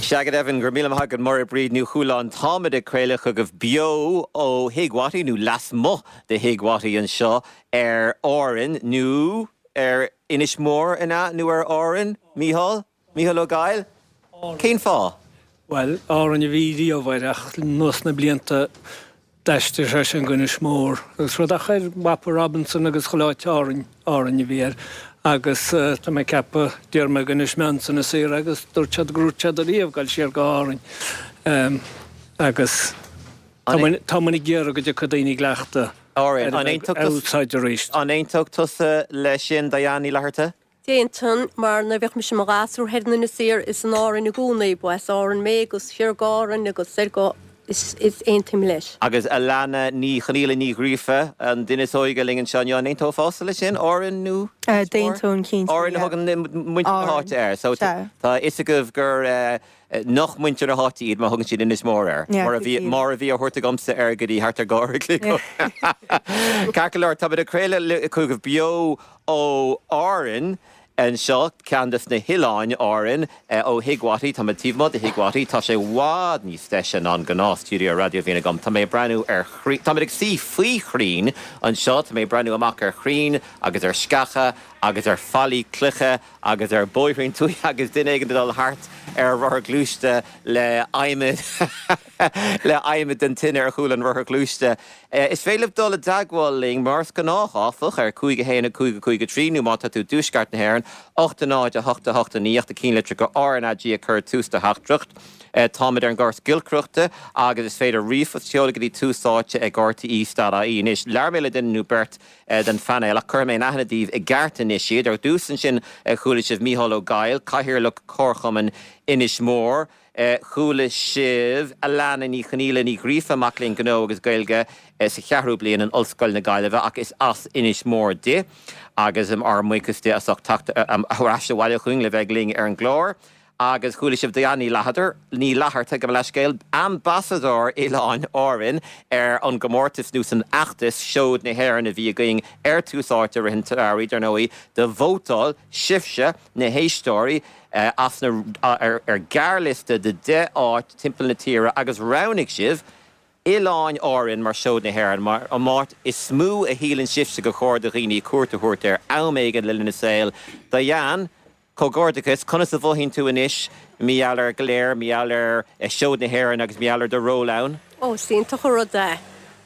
Sea go deimhin, go raibh míle maith agat Máire Bríd Ní Chualáin. Táimid ag craoladh chugaibh beo ó Thigh Wattie, nó lasmuigh de Thigh Wattie anseo ar Árainn, nó ar Inis Mór, an ea? Nó ar Árainn? Mícheál? Mícheál Ó Gaill? Cén fáth? Bhuel, Árainn a bhí riamh air ach anuas na blianta D'aistrigh sé sin go Inis Mór agus rud ach ar mhapa Robinson agus chuile áit Árainn, Árainn a bhí air agus tá mé ag ceapadh, d'iarr mé go Inis Meáin san is saor agus dúirt siad gur dhúirt siad ariamh dul siar go hÁrainn agus tá muid, tá muid ag iarraidh go dtiocfaidh daoine ag cleachtadh Árainn. An aontódh tusa, arís. An aontódh tusa leis sin, Diane Ní Fhlatharta? D'aontóinn, mar nuair a bhíodh mise i mo ghasúr thoir in Inis Oírr is in Árainn i gcónaí, ba as Árainn mé agus siar go Árainn agus soir go, is, is aontaím leis. Agus Alana Ní Chonaola Ní Ghríofa, an duine is óige linn anseo inniu, an aontófása leis sin? Árainn nó Inis Mór? D'aontóinn cinnte, Árainn a yeah. thugann muintir na Árainn, háite air. So sea. tá a fhios agaibh gur nach muintir na háite iad má thugann siad Inis Mór air, Yeah, mar a bhí, go díreach. mar a bhí á thabhairt agamsa air go dtí thart ar 2 uair a chloig ó shin. Ceart go leor, táimid ag craoladh chugaibh beo Ó Árainn anseo, ceann des na hOileáin Árainn, ó Thigh Wattie. Tá mé taobh amuigh de Thigh Wattie. Tá sé i bhfad níos deise ná an gnáth stiúideo raidió a bhíonn agam. Tá mé ag breathnú ar chrainn, táimid ag suí faoi chrainn anseo, tá mé ag breathnú amach ar chrainn agus ar sceacha agus ar fallaí cloiche agus ar bhóithrín tuaithe agus duine éigin ag dul thart ar rothar gluaiste le adhmad le adhmad den tine ar chúl an rothair ghluaiste. Is féidir libh dul i dteagmháil linn mar is gnách, áfach, ar 5 1 5 5 3 nó má tá tú i dtuaisceart na hÉireann, 8 0 8 8 9 ach do chinnlitreacha RnaG a chur tús do theachtaireacht. Táimid ar an gcóras giolcaireachta agus is féidir ríomhphost a sheoladh go dtí tús áite ag rte.ie. Anois, labhair mé le duine nó beirt den phainéal ach cuirfidh mé in aithne daoibh i gceart anois iad. Ar dtús ansin chuala sibh Mícheál Ó Gaill, Cathaoirleach Chomharchumann Inis Mór. Chuala sibh Alana Ní Chonaola Ní Ghríofa, mac léinn Gnó agus Gaeilge sa cheathrú bliain in Ollscoil na Gaillimhe ach is as Inis Mór di agus ár mbuíochas di as ucht teacht ar ais abhaile chugainn le bheith linn ar an gclár. Agus chuala sibh Diane Ní Lathair, Ní Fhlatharta, gabh mo leithscéal, Ambasadóir Oileáin Árainn ar an gcomórtas nó san fheachtas Seoid na hÉireann a bhí againn ar Tús Áite i rith an tsamhraidh, dar ndóigh, do vótáil sibhse, na héisteoirí, as na, ar ghearrliosta de 10 áit timpeall na tíre agus roghnaigh sibh Oileáin Árann mar Seoid na hÉireann, mar an áit is mó a shíleann sibhse gur chóir do dhaoine cuairt a thabhairt air am éigin le linn a saoil. Diane, comhghairdeachas, conas a mhothaíonn tú anois mar gheall air go léir, mar gheall ar Seoid na hÉireann agus mar gheall ar do ról ann? Ó, is iontach an rud é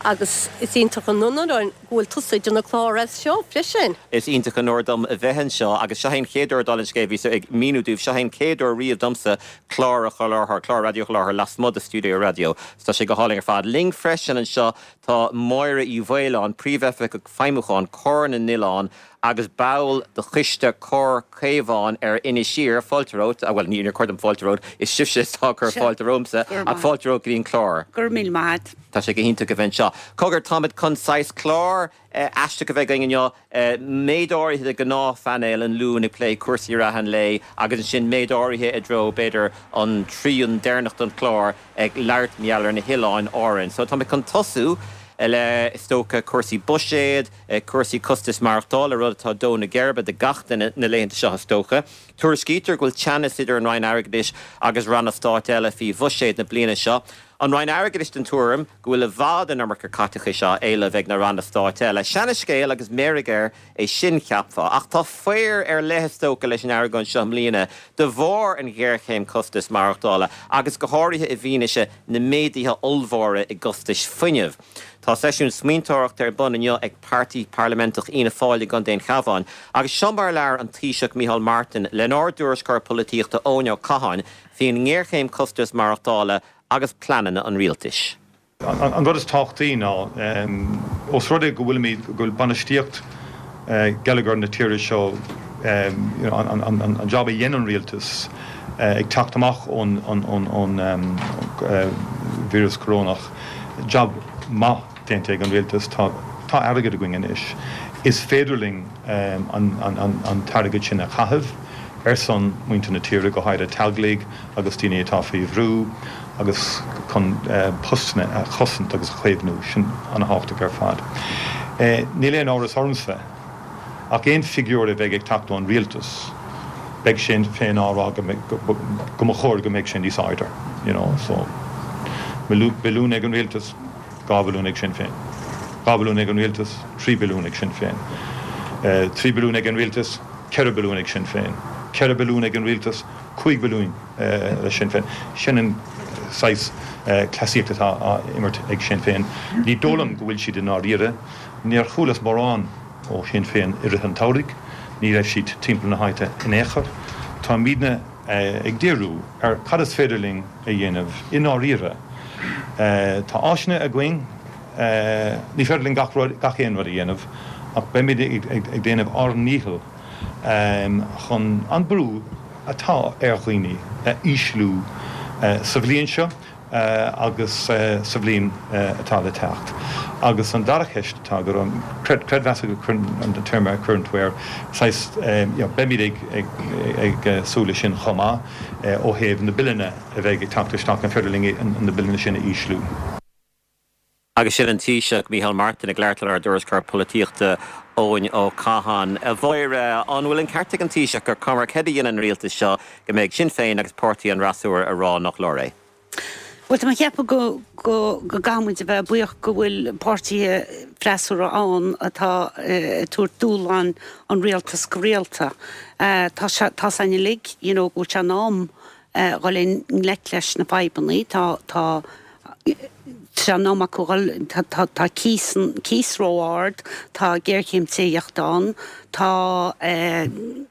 agus is iontach an onóir go bhfuil tusa ag déanamh clár as seo freisin. Is iontach an onóir dom a bheith anseo agus seo é an chéad uair, dála an scéil, bhíos ag míniú daoibh, seo é an chéad uair riamh domsa clár a sholáthar, clár raidió a sholáthar lasmuigh de stiúideo raidió. So tá sé go hálainn ar fad. Linn freisin anseo tá Máire Uí Mhaoláin, Príomhoifigeach Feidhmiúcháin, Comhar na nOileán agus ball de choiste Comhar Caomhán ar Inis Oírr, fáilte romhat, bhuel níor chóir dom fáilte romhat, is sibhse atá ag cur fáilte romhamsa, ach fáilte romhat go dtí an clár. Go raibh míle maith agat. Tá sé go hiontach a bheith anseo. Cogar, táimid chun saghas clár aisteach a bheith againn inniu, méid áirithe de ghnáthphainéal an Luain ag plé cúrsaí reatha an lae agus ansin méid áirithe i dtreo, b'fhéidir, an trian deireanach den chlár ag labhairt mar gheall ar na hOileáin Árann. So táimid chun tosú le, is dócha, cúrsaí buiséid, cúrsaí costais maireachtála, rud atá ag dó na geirbe do gach duine na laethanta seo is dócha. Tuairiscítear go bhfuil teannas idir an Roinn Airgeadais agus ranna stáit eile faoi bhuiséad na bliana seo. An Roinn Airgeadais den tuairim go bhfuil i bhfad an iomarca caiteachais á éileamh ag na ranna stáit eile. Seana-scéal agus meirg air é sin, cheapfá. Ach tá faobhar ar leith is dócha leis an argóint seo i mbliana de bharr an ghéarchéim costais maireachtála agus go háirithe i bhfianaise na méaduithe ollmhóra i gcostais fuinnimh. Tá seisiún smaointeoireachta ar bun inniu ag Páirtí Parlaiminteach Fhianna Fáil i gContae an Chabháin agus seo mar a labhair an Taoiseach Micheál Martin lenár dtuairisceoir polaitíochta Eoin Ó Catháin faoin ngéarchéim costais maireachtála agus pleananna an rialtais. An rud is tábhachtaí ná, ós rud é go bhfuilimid, go bhfuil bainistíocht geilleagar na tíre seo, an jab a dhein an rialtas ag teacht amach ón víreas corónach, jab maith déanta ag an rialtas, tá airgead againn anois, is féidir linn an t-airgead sin a chaitheamh ar son muintir na tíre, go háirithe teaghlaigh agus daoine atá faoi bhrú agus chun postanna a chosaint agus a chaomhnú. Sin an-thábhachtach ar fad. Níl aon amhras ormsa ach aon figiúr a bheidh ag teacht ón rialtas. Beidh Sinn Féin á rá go mba chóir go mbeadh sé níos airde, you know, so billiún ag an rialtas, 2 bhilliún ag Sinn Féin. 2 bhilliún ag an rialtas, 3 billiún ag Sinn Féin. 3 billiún ag an rialtas, 4 billiún ag Sinn Féin. 4 billiún ag an rialtas, 5 billiún le Sinn Féin. Sin an saghas cleasaíocht atá á imirt ag Sinn Féin. Ní dóigh liom go bhfuil siad i ndáiríre. Níor chualas mórán ó Shinn Féin i rith an tsamhraidh. Ní raibh siad timpeall na háite in aon chor. Táimidne ag díriú ar cad is féidir linn a dhéanamh i ndáiríre. Tá áiseanna againn. Ní féidir linn gach rud, gach aon rud a dhéanamh ach beimid ag déanamh ár ndícheall chun an brú atá ar dhaoine a ísliú sa bhliain seo agus sa bhliain atá le teacht. Agus an dara ceist atá agat, an creidmheas an téarma a chuireann tú air, saghas, you know, beimid ag súil leis sin chomh maith ó thaobh na billeanna a bheidh ag teacht isteach, an féidir linn na billeanna sin a ísliú? Agus sin an Taoiseach, Micheál Martin, ag labhairt lenár dtuairisceoir polaitíochta, Eoin Ó Catháin. A Mháire, an bhfuil an ceart ag an Taoiseach gur cuma céard a dhéanann an rialtas seo, go mbeidh Sinn Féin agus páirtí an fhreasúra ag rá nach leor é? Bhuel, tá mé ag ceapadh go go go gcaithfidh muid a bheith buíoch go bhfuil páirtithe freasúra ann atá ag tabhairt dúshlán an rialtas go rialta. Tá sé, tá's againn uilig, you know, go bhfuil sé in am dhul i ngleic leis na fadhbanna. Tá, tá, tá sé in am acu dhul, tá, tá, tá cíos, cíos ró-ard, tá géarchéim tithíochta ann, tá,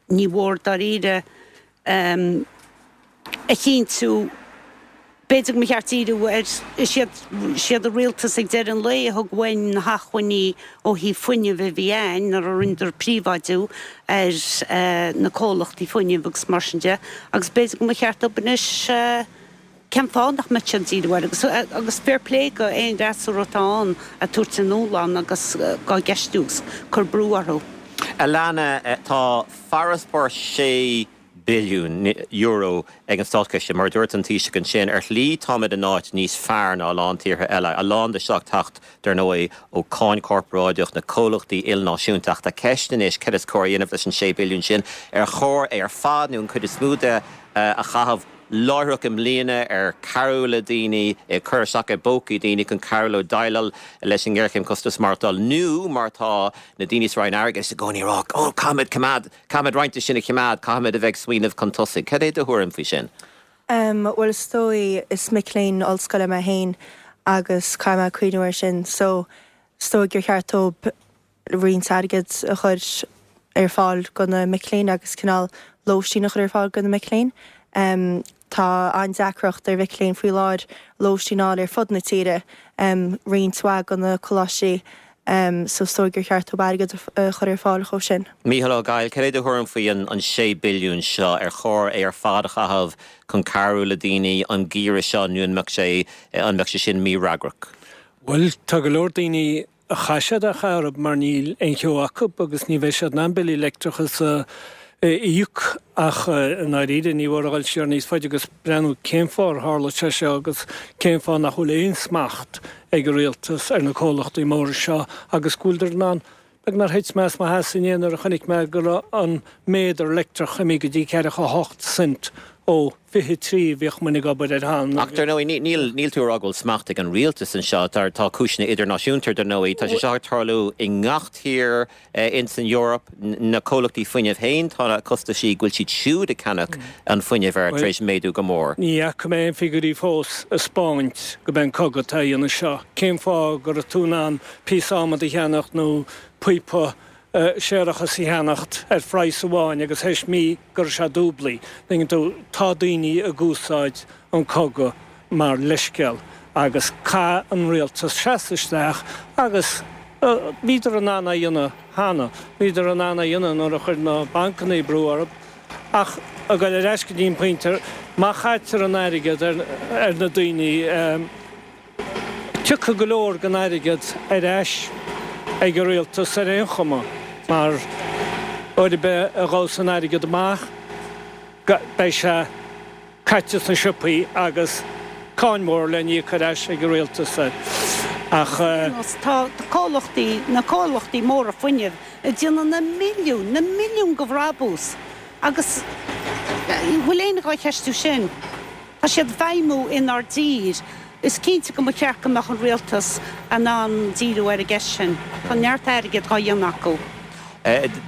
ní mhór dáiríre a chinntiú, b'fhéidir go mba cheart díriú ar, is iad, is iad an rialtas ag deireadh an lae a thug uainn na hacmhainní ó thaobh fuinnimh a bhí a'ainn nuair a rinneadar príobháidiú ar na comhlachtaí fuinnimh agus mar sin de agus b'fhéidir go mba cheart dóibh anois cén fáth nach mbeadh siad ag díriú air agus agus fair play go aon fhreasúra atá ann ag tabhairt a ndúshlán agus á gceistiú agus cur brú orthu. Alana, tá farasbarr 6 billiún euro ag an státchiste. Mar a dúirt an Taoiseach ansin, ar shlí táimid in áit níos fearr ná a lán tíortha eile, a lán de seo ag teacht, dar ndóigh, ó cáin chorparáideach na comhlachtaí ilnáisiúnta. Ach tá ceist anois céard is cóir a dhéanamh leis an 6 billiún sin? Ar chóir é ar fad nó an chuid is mó de a chaitheamh láithreach i mbliana ar cabhrú le daoine, ag cur isteach i bpócaí daoine chun cabhrú leo déileáil leis an ngéarchéim costas maireachtála nó mar atá na daoine sa Roinn Airgeadais i gcónaí ag rá, oh caithfimid coimeád Caithfimid roinnt de sin a choimeád, caithfimid a bheith ag smaoineamh chun tosaigh. Cad é do thuairim faoi sin? Em, bhuel is dóigh, is mic léinn ollscoile mé féin agus caithfidh mé cuimhniú air sin so is dóigh gur cheart dóibh roinnt airgid a chur ar fáil do na mic léinn agus cineál lóistín a chur ar fáil do na mic léinn. Em, tá an-deacracht ar mhic léinn faoi láthair lóistín a fháil ar fud na tíre, em, roinnt mhaith de na coláistí So is dóigh gur cheart dóibh airgead a chur ar fáil dhóibh sin. Mícheál Ó Gaill, cad é do thuairim faoi an 6 billiún seo? Ar chóir é ar fad a chaitheamh chun cabhrú le daoine an geimhreadh seo nó an mbeadh sé an mbeadh sé sin mífhreagrach? Bhuel, tá go leor daoine a chaith siad a chaitheamh mar níl aon cheo acu agus ní bheidh siad in ann billí leictreachais a íoc ach i ndáiríre ní mhór a dhul siar níos faide agus breathnú cén fáth ar tharla sé seo agus cén fáth nach bhfuil aon smacht ag an rialtas ar na comhlachtaí móra seo agus go bhfuileadar in ann Beagnach thit mé as mo sheasamh inné nuair a chonaic mé go raibh an méadar leictreach imithe go dtí ceathracha 8 cent ó 23 a bhíodh muinn ag obair air cheana. Ach dar ndóigh níl níl tú ag rá go bhfuil smacht ag an rialtas anseo. Tá tá cúiseanna idirnáisiúnta dar ndóigh. Tá sé seo ag tarlú i ngach tír. Ins an Eoraip, na comhlachtaí fuinnimh féin, tá na costaisí go bhfuil siad siúd ag ceannach an fuinnimh air tar éis méadú go mór. Ní fhaca mé aon figiúirí fós ag 'spáint go b'é an cogadh atá á dhéanamh seo. Cén fáth go raibh tú in ann píosa adhmaid a cheannacht nó píopa séarachais a cheannacht ar phraghas amháin agus théis mí go raibh sé dúblaí. Tuigeann tú, tá daoine ag úsáid an cogadh mar leithscéal agus caithfidh an rialtas seasamh isteach agus bhíodar in ann é a dhéanamh cheana. Bhíodar in ann é a dhéanamh nuair a chuir na bancanna brú orthu. Ach ag dul ar ais go dtí an pointe, má chaitear an airgead ar na daoine, tiocfaidh go leor den airgead ar ais ag an rialtas ar aon chuma mar uair ar bith a ghabhfas an airgead amach, beidh sé. caite sna siopaí agus cáin mhór le n-íoc ar ais ag an rialtas air. Ach. Tá comhlachtaí, na comhlachtaí móra fuinnimh ag déanamh na milliúin, na milliúin de bhrabús agus. Bhfuil éinne dhá cheistiú sin? Tá siad ag feidhmiú inár dtír. Is cinnte go mba cheart go mbeadh an rialtas in ann díriú ar an gceist sin. Tá neart airgid dhá dhéanamh acu.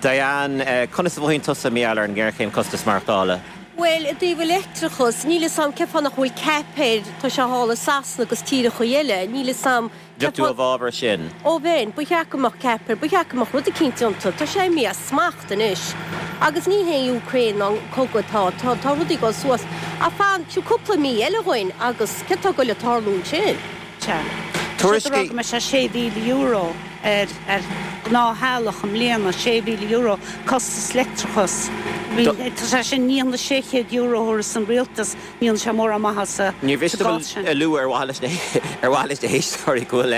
Diane, conas a mhothaíonn tusa mar gheall ar an ngéarchéim costas maireachtála? Bhuel, i dtaobh an leictreachais, níl 'fhios a'm cén fáth nach bhfuil cap air, tá sé thall i Sasana agus tíreachaí eile, níl 'fhios a'm cén Bheadh tú i bhfabhar sin? Ó bheinn, ba cheart go mbeadh cap air, ba cheart go mbeadh rud eicínt déanta, tá sé imithe as smacht anois. Agus ní hé an Ukraine ná an cogadh atá, tá, tá rudaí ag dul suas. Ach fan, tabhair cúpla mí eile dhuinn agus céard tá ag goil ag tarlú ansin? Sea. Tá siad ag rá go mbeidh sé €6,000 ar ar ghnáth-theaghlach i mbliana, €6,000 costas leictreachais. Tá sé sin, ní hionann €600 a thabharfas an rialtas, ní dhéanann sé mórán maitheasa Níor mhiste sa gcás sin. a lua ar mhaithe leis na ar mhaithe leis na héisteoirí go bhfuil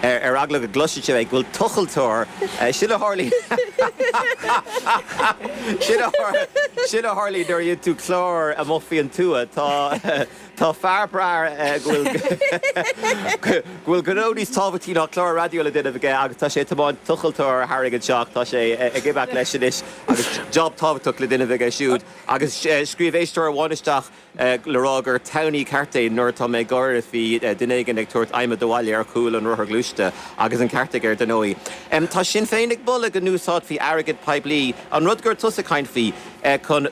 ar eagla go gcloisfidh sibh é, go bhfuil tochaltóir, sin a tharlaíonn sin a sin a tharlaíonn nuair a dhéanann tú clár amuigh faoin tuath. Tá Tá fear breá go bhfuil go bhfuil gnó níos tábhachtaí ná clár raidió le déanamh aige agus tá sé ag tiomáint tochaltóir tharainn anseo ach tá sé ag imeacht leis anois agus job tábhachtach le déanamh aige siúd. Agus scríobh éisteoir amháin isteach le rá gur townie ceart é nuair atá mé ag gáire faoi duine éigin ag tabhairt adhmad abhaile ar chúl an rothair ghluaiste agus an ceart aige ar ndóigh. Tá Sinn Féin ag moladh go n-úsáidfí airgead poiblí, an rud go raibh tusa ag caint faoi, chun,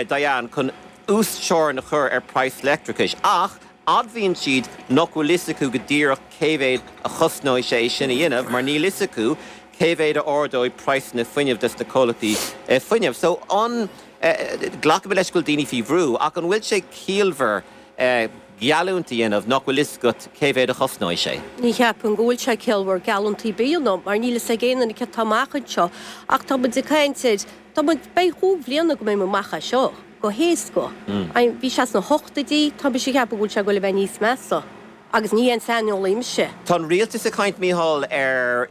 Diane, chun uasteorainn a chur ar praghas leictreachais, ach admhaíonn siad nach bhfuil fhios acu go díreach cé mhéad a chosnóidh sé é sin a dhéanamh mar níl fhios acu cé mhéad a ardóidh praghsanna fuinnimh dos na comhlachtaí fuinnimh. So an, glacaimid leis go bhfuil daoine faoi bhrú, ach an bhfuil sé ciallmhar geallúint a dhéanamh nach bhfuil fhios agat cé mhéad a chosnóidh sé? Ní cheapaim go bhfuil sé ciallmhar geallúint ar bith a dhéanamh mar níl fhios ag aon duine céard atá amach anseo ach tá muid ag caint ar, tá muid, beidh chúig bhliana go mbeidh muid amach as seo. go héasca. Bhí sé sna hochtóidí, tá mise ag ceapadh go bhfuil sé ag goil a bheith níos measa. Agus ní haon saineolaí mise. Tá an rialtas ag caint, Mícheál, ar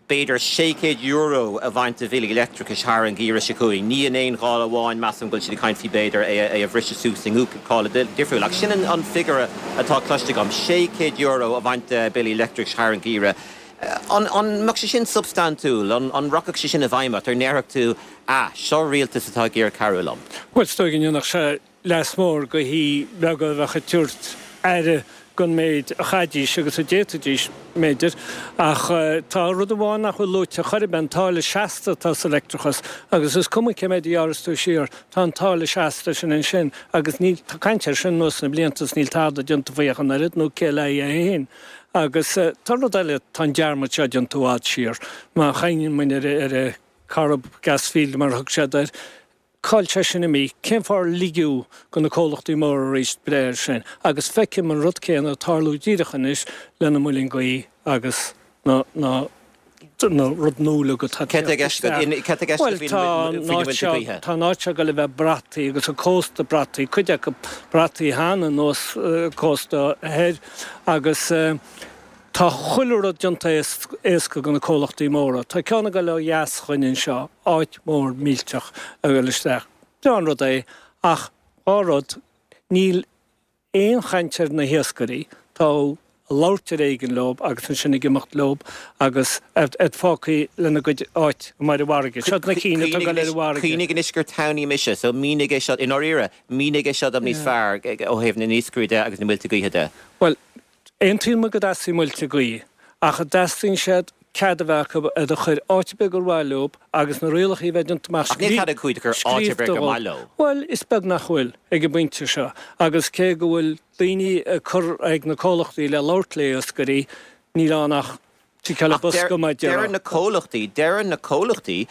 b'fhéidir €600 a bhaint de bhillí leictreachais thar an gheimhreadh seo chugainn. Ní in aon ghála amháin, measaim go bhfuil siad ag caint faoi b'fhéidir é a bhriseadh suas i gcúpla gála difriúil. Ach sin an figiúr atá cloiste agam, €600 a bhaint de bhillí leictreachais thar an gheimhreadh. An mbeadh sé sin substaintiúil? An rachadh sé sin i bhfeidhm ort? An ndéarfadh tú, Ah, seo rialtas atá ag iarraidh cabhrú liom? Bhuel, is dóigh go ndéanfadh sé leas mór do thithe beaga a bheadh ag tabhairt aire don méid a chaithfidís agus a d'fhéadfaidís, b'fhéidir. Ach tá rud amháin nach bhfuil luaite chor ar bith, an táille seasta atá sa leictreachas. Agus is cuma cé méid a ghearras tú siar, tá an táille seasta sin ansin agus níl, tá caint air sin anuas na blianta is níl tada déanta faoi ach an oiread, nó cé le haghaidh é féin. Agus tá rud eile, tá an dearmad seo déanta i bhfad siar. Má chuimhníonn muid ar an Corrib Gas Field mar a thug siad air, cá bhfuil sé sin imithe? Cén fáth ar ligeadh do na comhlachtaí móra arís breith air sin? Agus feicim an rud céanna ag tarlú díreach anois le na muilinn gaoithe agus na na na rud nua uilig atá ag Céard teacht isteach. Bhuel, tá an áit seo, tá an áit seo ag dul a bheith brataí agus an cósta brataí, cuid acu brataí cheana anuas cósta thoir agus tá chuile rud déanta éasca do na comhlachtaí móra. Tá ceann ag dul ó dheas chugainn anseo, áit mhór millteach ag dul isteach. Breá an rud é ach dhá rud, níl aon chaint ar na hiascairí, tá ag labhairt ar éigean leo agus ansin ag imeacht leo agus iad fágtha lena gcuid áit amuigh ar an bhfarraige. Seo na cinn atá ag dul ar an bhfarraige. Cuimhnigh anois gur townie mise, so mínigh é seo, i ndáiríre, mínigh é seo dom níos fearr ó thaobh na n-iascairí de agus na muilte gaoithe de. Bhuel, Aontaíonn muid go dteastaíonn muilte gaoithe, ach an dteastaíonn siad cead a bheith acu iad a chur áit ar bith gur mhaith leo agus na rialacha a bheith déanta amach Ach níl cead acu iad a chur áit ar bith gur maith leo. Bhuel, is beag nach bhfuil, ag an bpointe seo. Agus cé go bhfuil daoine ag cur ag na comhlachtaí le labhairt le iascairí, níl ann ach Ticeáil Ach bosca mar a déarfá. Deireann na comhlachtaí, deireann na comhlachtaí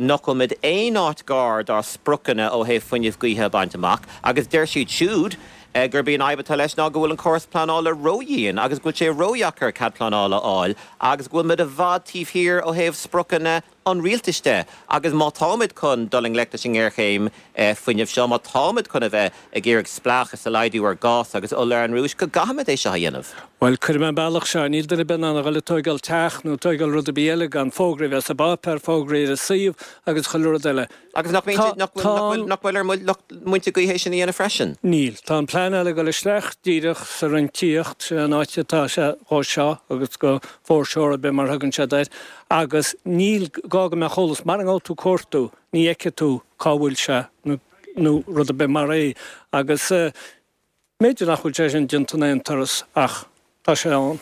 nach bhfuil muid aon áit gar dár spriocanna ó thaobh fuinneamh gaoithe a bhaint amach agus deir siad siúd gurb í an fhadhb atá leis ná go bhfuil an córas pleanála ródhian agus go bhfuil sé ródheacair cead pleanála a fháil agus go bhfuil muid i bhfad taobh thiar ó thaobh spriocanna an rialtais de agus má táimid chun dul i ngleic leis an ngéarchéim fuinnimh seo, má táimid chun a bheith ag iarraidh spleáchas a laghdú ar ghás agus ola ar an Rúis, go gcaithfimid é seo a dhéanamh. Bhuel, cuirfidh mé an bealach seo, níl duine ar bith in ann a dhul ag tóigeáil teach nó ag tóigeáil rud ar bith eile gan fógra a bheith sa bpáipéar, fógra ar an suíomh agus chuile rud eile. Agus nach mbíonn, nach bhfuil, nach bhfuil ar lucht muilte gaoithe é sin a dhéanamh freisin? Níl. Tá an pleanáil ag dul isteach díreach sa Roinn Tithíochta, sin an áit atá sé dhó seo agus go foreshore ar bith mar a thugann siad air, agus níl gá go mbeadh eolas, mara ngabhfaidh tú cuartú, ní fheicfidh tú cá bhfuil sé nó. nó rud ar bith mar é agus b'fhéidir nach bhfuil sé sin déanta in aon turas ach tá sé ann.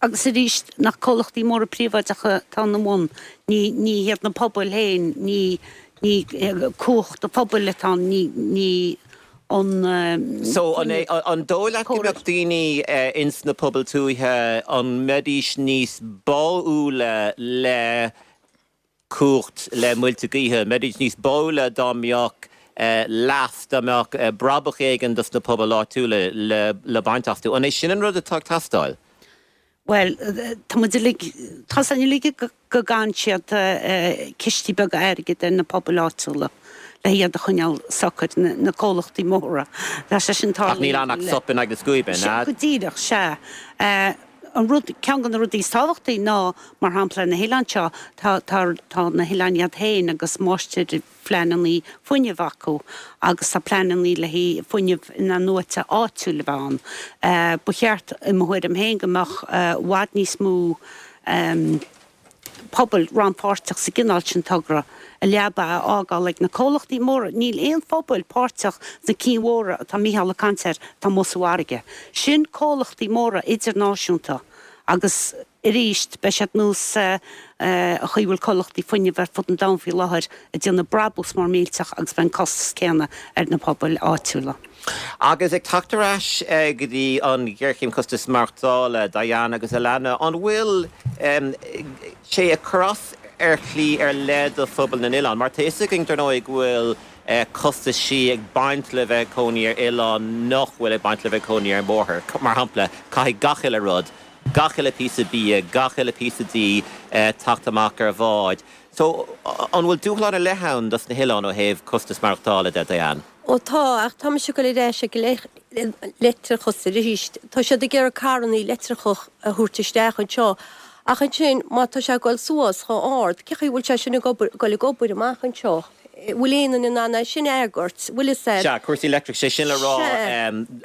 Agus arís, nach comhlachtaí móra príobháideacha atá ina mbun, ní ní hiad na pobail féin, ní ní cumhacht an phobail atá ann, ní ní an So, an é, an dóigh leat go mbeadh daoine ins na pobail tuaithe, an mbeidís níos báúla le cumhacht, le muilte gaoithe, an mbeidís níos báúla dá mbeadh leas, dá mbeadh brabach éigin dos na pobail áitiúla le le baint astu? An é sin an rud atá ag teastáil? Bhuel, tá muid uilig, tá 's againn uilig go gcaitheann siad cistí beaga airgid ar na pobail áitiúla le hiad a choinneáil socair, na comhlachtaí móra. Tá sé sin tarlaithe. Ach níl ann ach sop in aghaidh na scuaibe, an ea? Go díreach, sea. An rud, ceann de na rudaí is tábhachtaí ná, mar shampla, ar na hoileáin seo, tá, tá, tá na hoileáin iad féin agus máistir, phleananna fuinnimh acu agus tá pleananna le haghaidh fuinneamh in-athnuaite áitiúil a bheith ann. Ba cheart, i mo thuairim féin, go mbeadh i bhfad níos mó pobail rannpháirteach sa gcineál sin togra, a leaba a fhágáil ag na comhlachtaí móra. Níl aon phobail páirteach sna cinn mhóra atá Mícheál ag caint air atá amuigh sa bhfarraige. Sin comhlachtaí móra idirnáisiúnta agus. Arís, beidh siad nós an chaoi a bhfuil comhlachtaí fuinnimh ar fud an domhain faoi láthair ag déanamh brabús mór millteach agus beidh an costas céanna ar na pobail áitiúla. Agus ag teacht ar ais go dtí an ghéarchéim costas maireachtála, Diane agus Alana, an bhfuil sé ag cur as ar shlí ar leith do phobal na n-oileán? Mar tá fhios againn, dar ndóigh, go bhfuil costaisí ag baint le bheith ag cónaí ar oileán nach bhfuil ag baint le bheith ag cónaí ar mhórthír. Mar shampla, caithfidh gach uile rud, gach uile píosa bia, gach uile píosa dí teacht amach ar bhád. So, an bhfuil dúshlán ar leith ann dos na hoileáin ó thaobh costas maireachtála de, Diane? Ó tá, ach tá mise ag dul ar ais ag leictreachas arís. Tá siad ag iarraidh carrannaí leictreacha a thabhairt isteach anseo, ach ansin má tá sé ag dul suas chomh ard, cé chaoi bhfuil sé sin ag obair, dul ag obair amach anseo? Bhfuil aon duine in ann é sin a fhreagairt? Bhfuil fhios a'd? Sea, cúrsaí leictreachais, sé sin le rá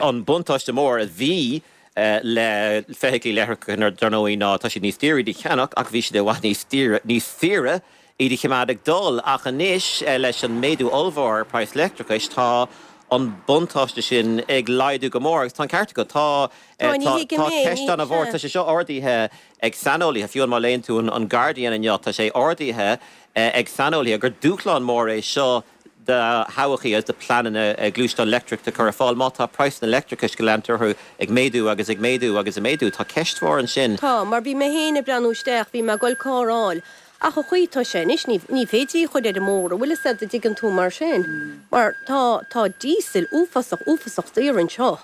an buntáiste mór a bhí le feithiclí leictreacha dar ndóigh ná tá siad níos daoire iad a cheannach ach bhí siad i bhfad níos daoire, níos saoire iad a choimeád ag dul. Ach anois leis an méadú ollmhór ar praghas leictreachais tá an buntáiste sin ag laghdú go mór agus tá an ceart agat, tá Tá, ní tá thuigim tá é, ceist ní, an-mhór, sea. tá sé seo ardaithe ag saineolaithe, fiú má léann tú an Guardian inniu tá sé ardaithe ag saineolaithe gur dúshlán mór é seo do thodhchaí agus do pleananna gluaisteán leictreach a chur ar fáil. Má tá praghsanna leictreachais go leantar orthu ag méadú agus ag méadú agus ag méadú, tá ceist mhór ansin. Tá, mar bhí mé féin ag breathnú isteach, bhí mé ag dul carr a fháil, ach an chaoi atá sé anois, ní, ní féidir í a chur ar an mbóthar, an bhfuil fhios a'd, an dtuigeann tú, mar sin, mar tá, tá díosal uafásach, uafásach daor anseo.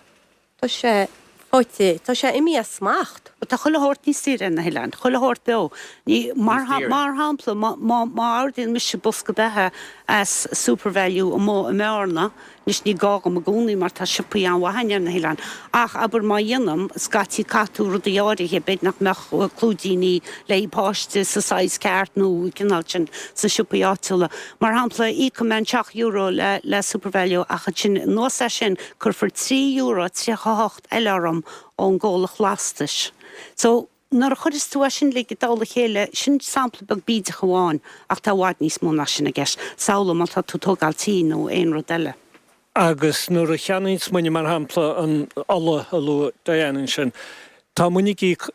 Tá sé faighte, tá sé imithe as smacht. Tá chuile shórt níos daoire ar na hoileáin, chuile shórt beo. Ní, mar, mar shampla, má, má, má ordaíonn mise bosca beatha as Supervalu amuigh i mBearna, anois ní gá dhom i gcónaí mar tá siopaí an-mhaith againn ar na hoileáin, ach abair má dhéanaim, scaití caithfidh tú rudaí áirithe, b'fhéidir nach mbeadh clúidíní le haghaidh páiste sa saghas ceart nó an cineál sin sna siopaí áitiúla. Mar shampla, íocfaidh mé an seacht euro le, le Supervalu ach ansin anuas air sin, Cuirfear €3.38 eile orm ón gcomhlacht lastais. So, nuair a chuireas tú é sin uilig i dtoll a chéile, sin sampla beag bídeach amháin ach tá i bhfad níos mó ná sin i gceist. Samhlaigh má tá tú ag tógáil tí nó aon rud eile. Agus nuair a cheannaíonns muidne, mar shampla, an ola a luaigh Diane ansin, tá muidne ag íoc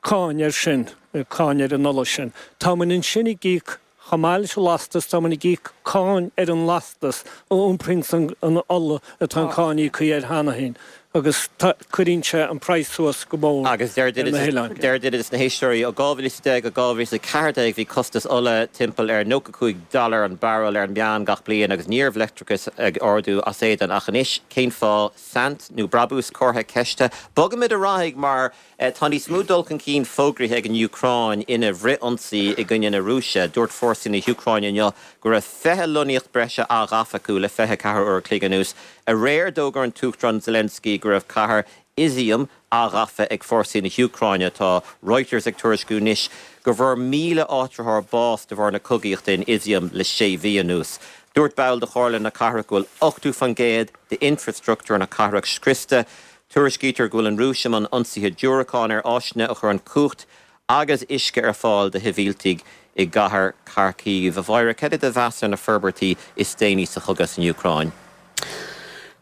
cáin air sin, cáin ar an ola sin. Tá muid ansin ag íoc Chomh maith leis an lastas, tá muid ag íoc cáin ar an lastas a iompraíonns an ola atá an cáin íoctha air cheana féin agus cuireann sé an praghas suas go mór Agus deir ar na hoileáin. deir duine des na héisteoirí, ó 2010 go 2014 bhí costas ola timpeall ar 95 dollar an barrel ar an meán gach bliain agus ní raibh leictreachas ag ardú as éadan ach anois cén fáth? Saint nó brabús? Comhartha ceiste. Bogaimid ar aghaidh mar Tá níos mó dul chun cinn fógraithe ag an Úcráin ina bhfrith-ionsaí i gcoinne na Rúise. Dúirt fórsaí na hÚcráine inniu go raibh 20 lonnaíocht breise athghafa acu le 24 uair a chloig anuas. Aréir d'fhógair an tUachtarán Zelensky go raibh cathair Izium athghafa ag fórsaí na hÚcráine. Tá Reuters ag tuairisciú anois go bhfuair 1,000 áitritheoir bás de bharr na cogaíochta in Izium le sé mhí anuas. Dúirt ball de chomhairle na cathrach go bhfuil 80% d'infreastruchtúr na cathrach scriosta. Tuairiscítear go bhfuil an Rúis i mbun ionsaithe diúracán ar áiseanna a chuireann cumhacht agus uisce ar fáil do shibhialtaigh i gcathair Kharkiv. A Mháire, cad é do mheas ar na forbairtí is déanaí sa chogadh san Úcráin?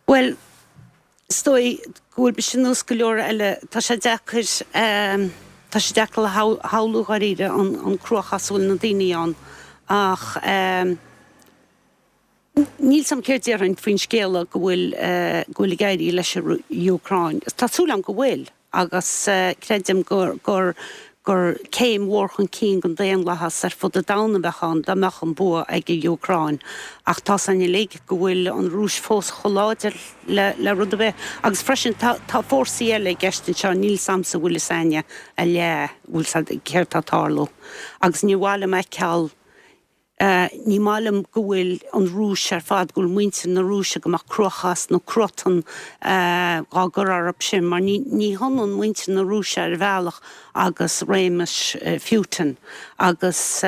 Bhuel, is dóigh go bhfuil mise nós go leor eile, tá sé deacair, tá sé deacair a shamhlú dháiríre an cruachás a bhfuil na daoine ann ach níl 's a'm céard déarfainn faoin scéala go bhfuil, go bhfuil ag éirí leis an Úcráin. Tá súil agam go bhfuil. agus creidim gur gur gur céim mhór chun cinn don daonlathas ar fud an domhain a bheadh ann dá mbeadh an bua ag an Úcráin. Ach tá 's againn uilig go bhfuil an Rúis fós chomh láidir le le rud ar bith. Agus freisin tá tá fórsaí eile i gceist anseo, níl 's a'msa an bhfuil 'fhios a'inne a leath, bhfuil 's a'd céard tá ag tarlú. Agus ní mhaith liom a fheiceáil Ní maith liom go bhfuil an Rúis ar fad, go bhfuil muintir na Rúise, go mbeadh cruachás nó cruatan dhá gcur orthu sin, mar ní hionann muintir na Rúise ar bhealach agus réimeas Phutin. Agus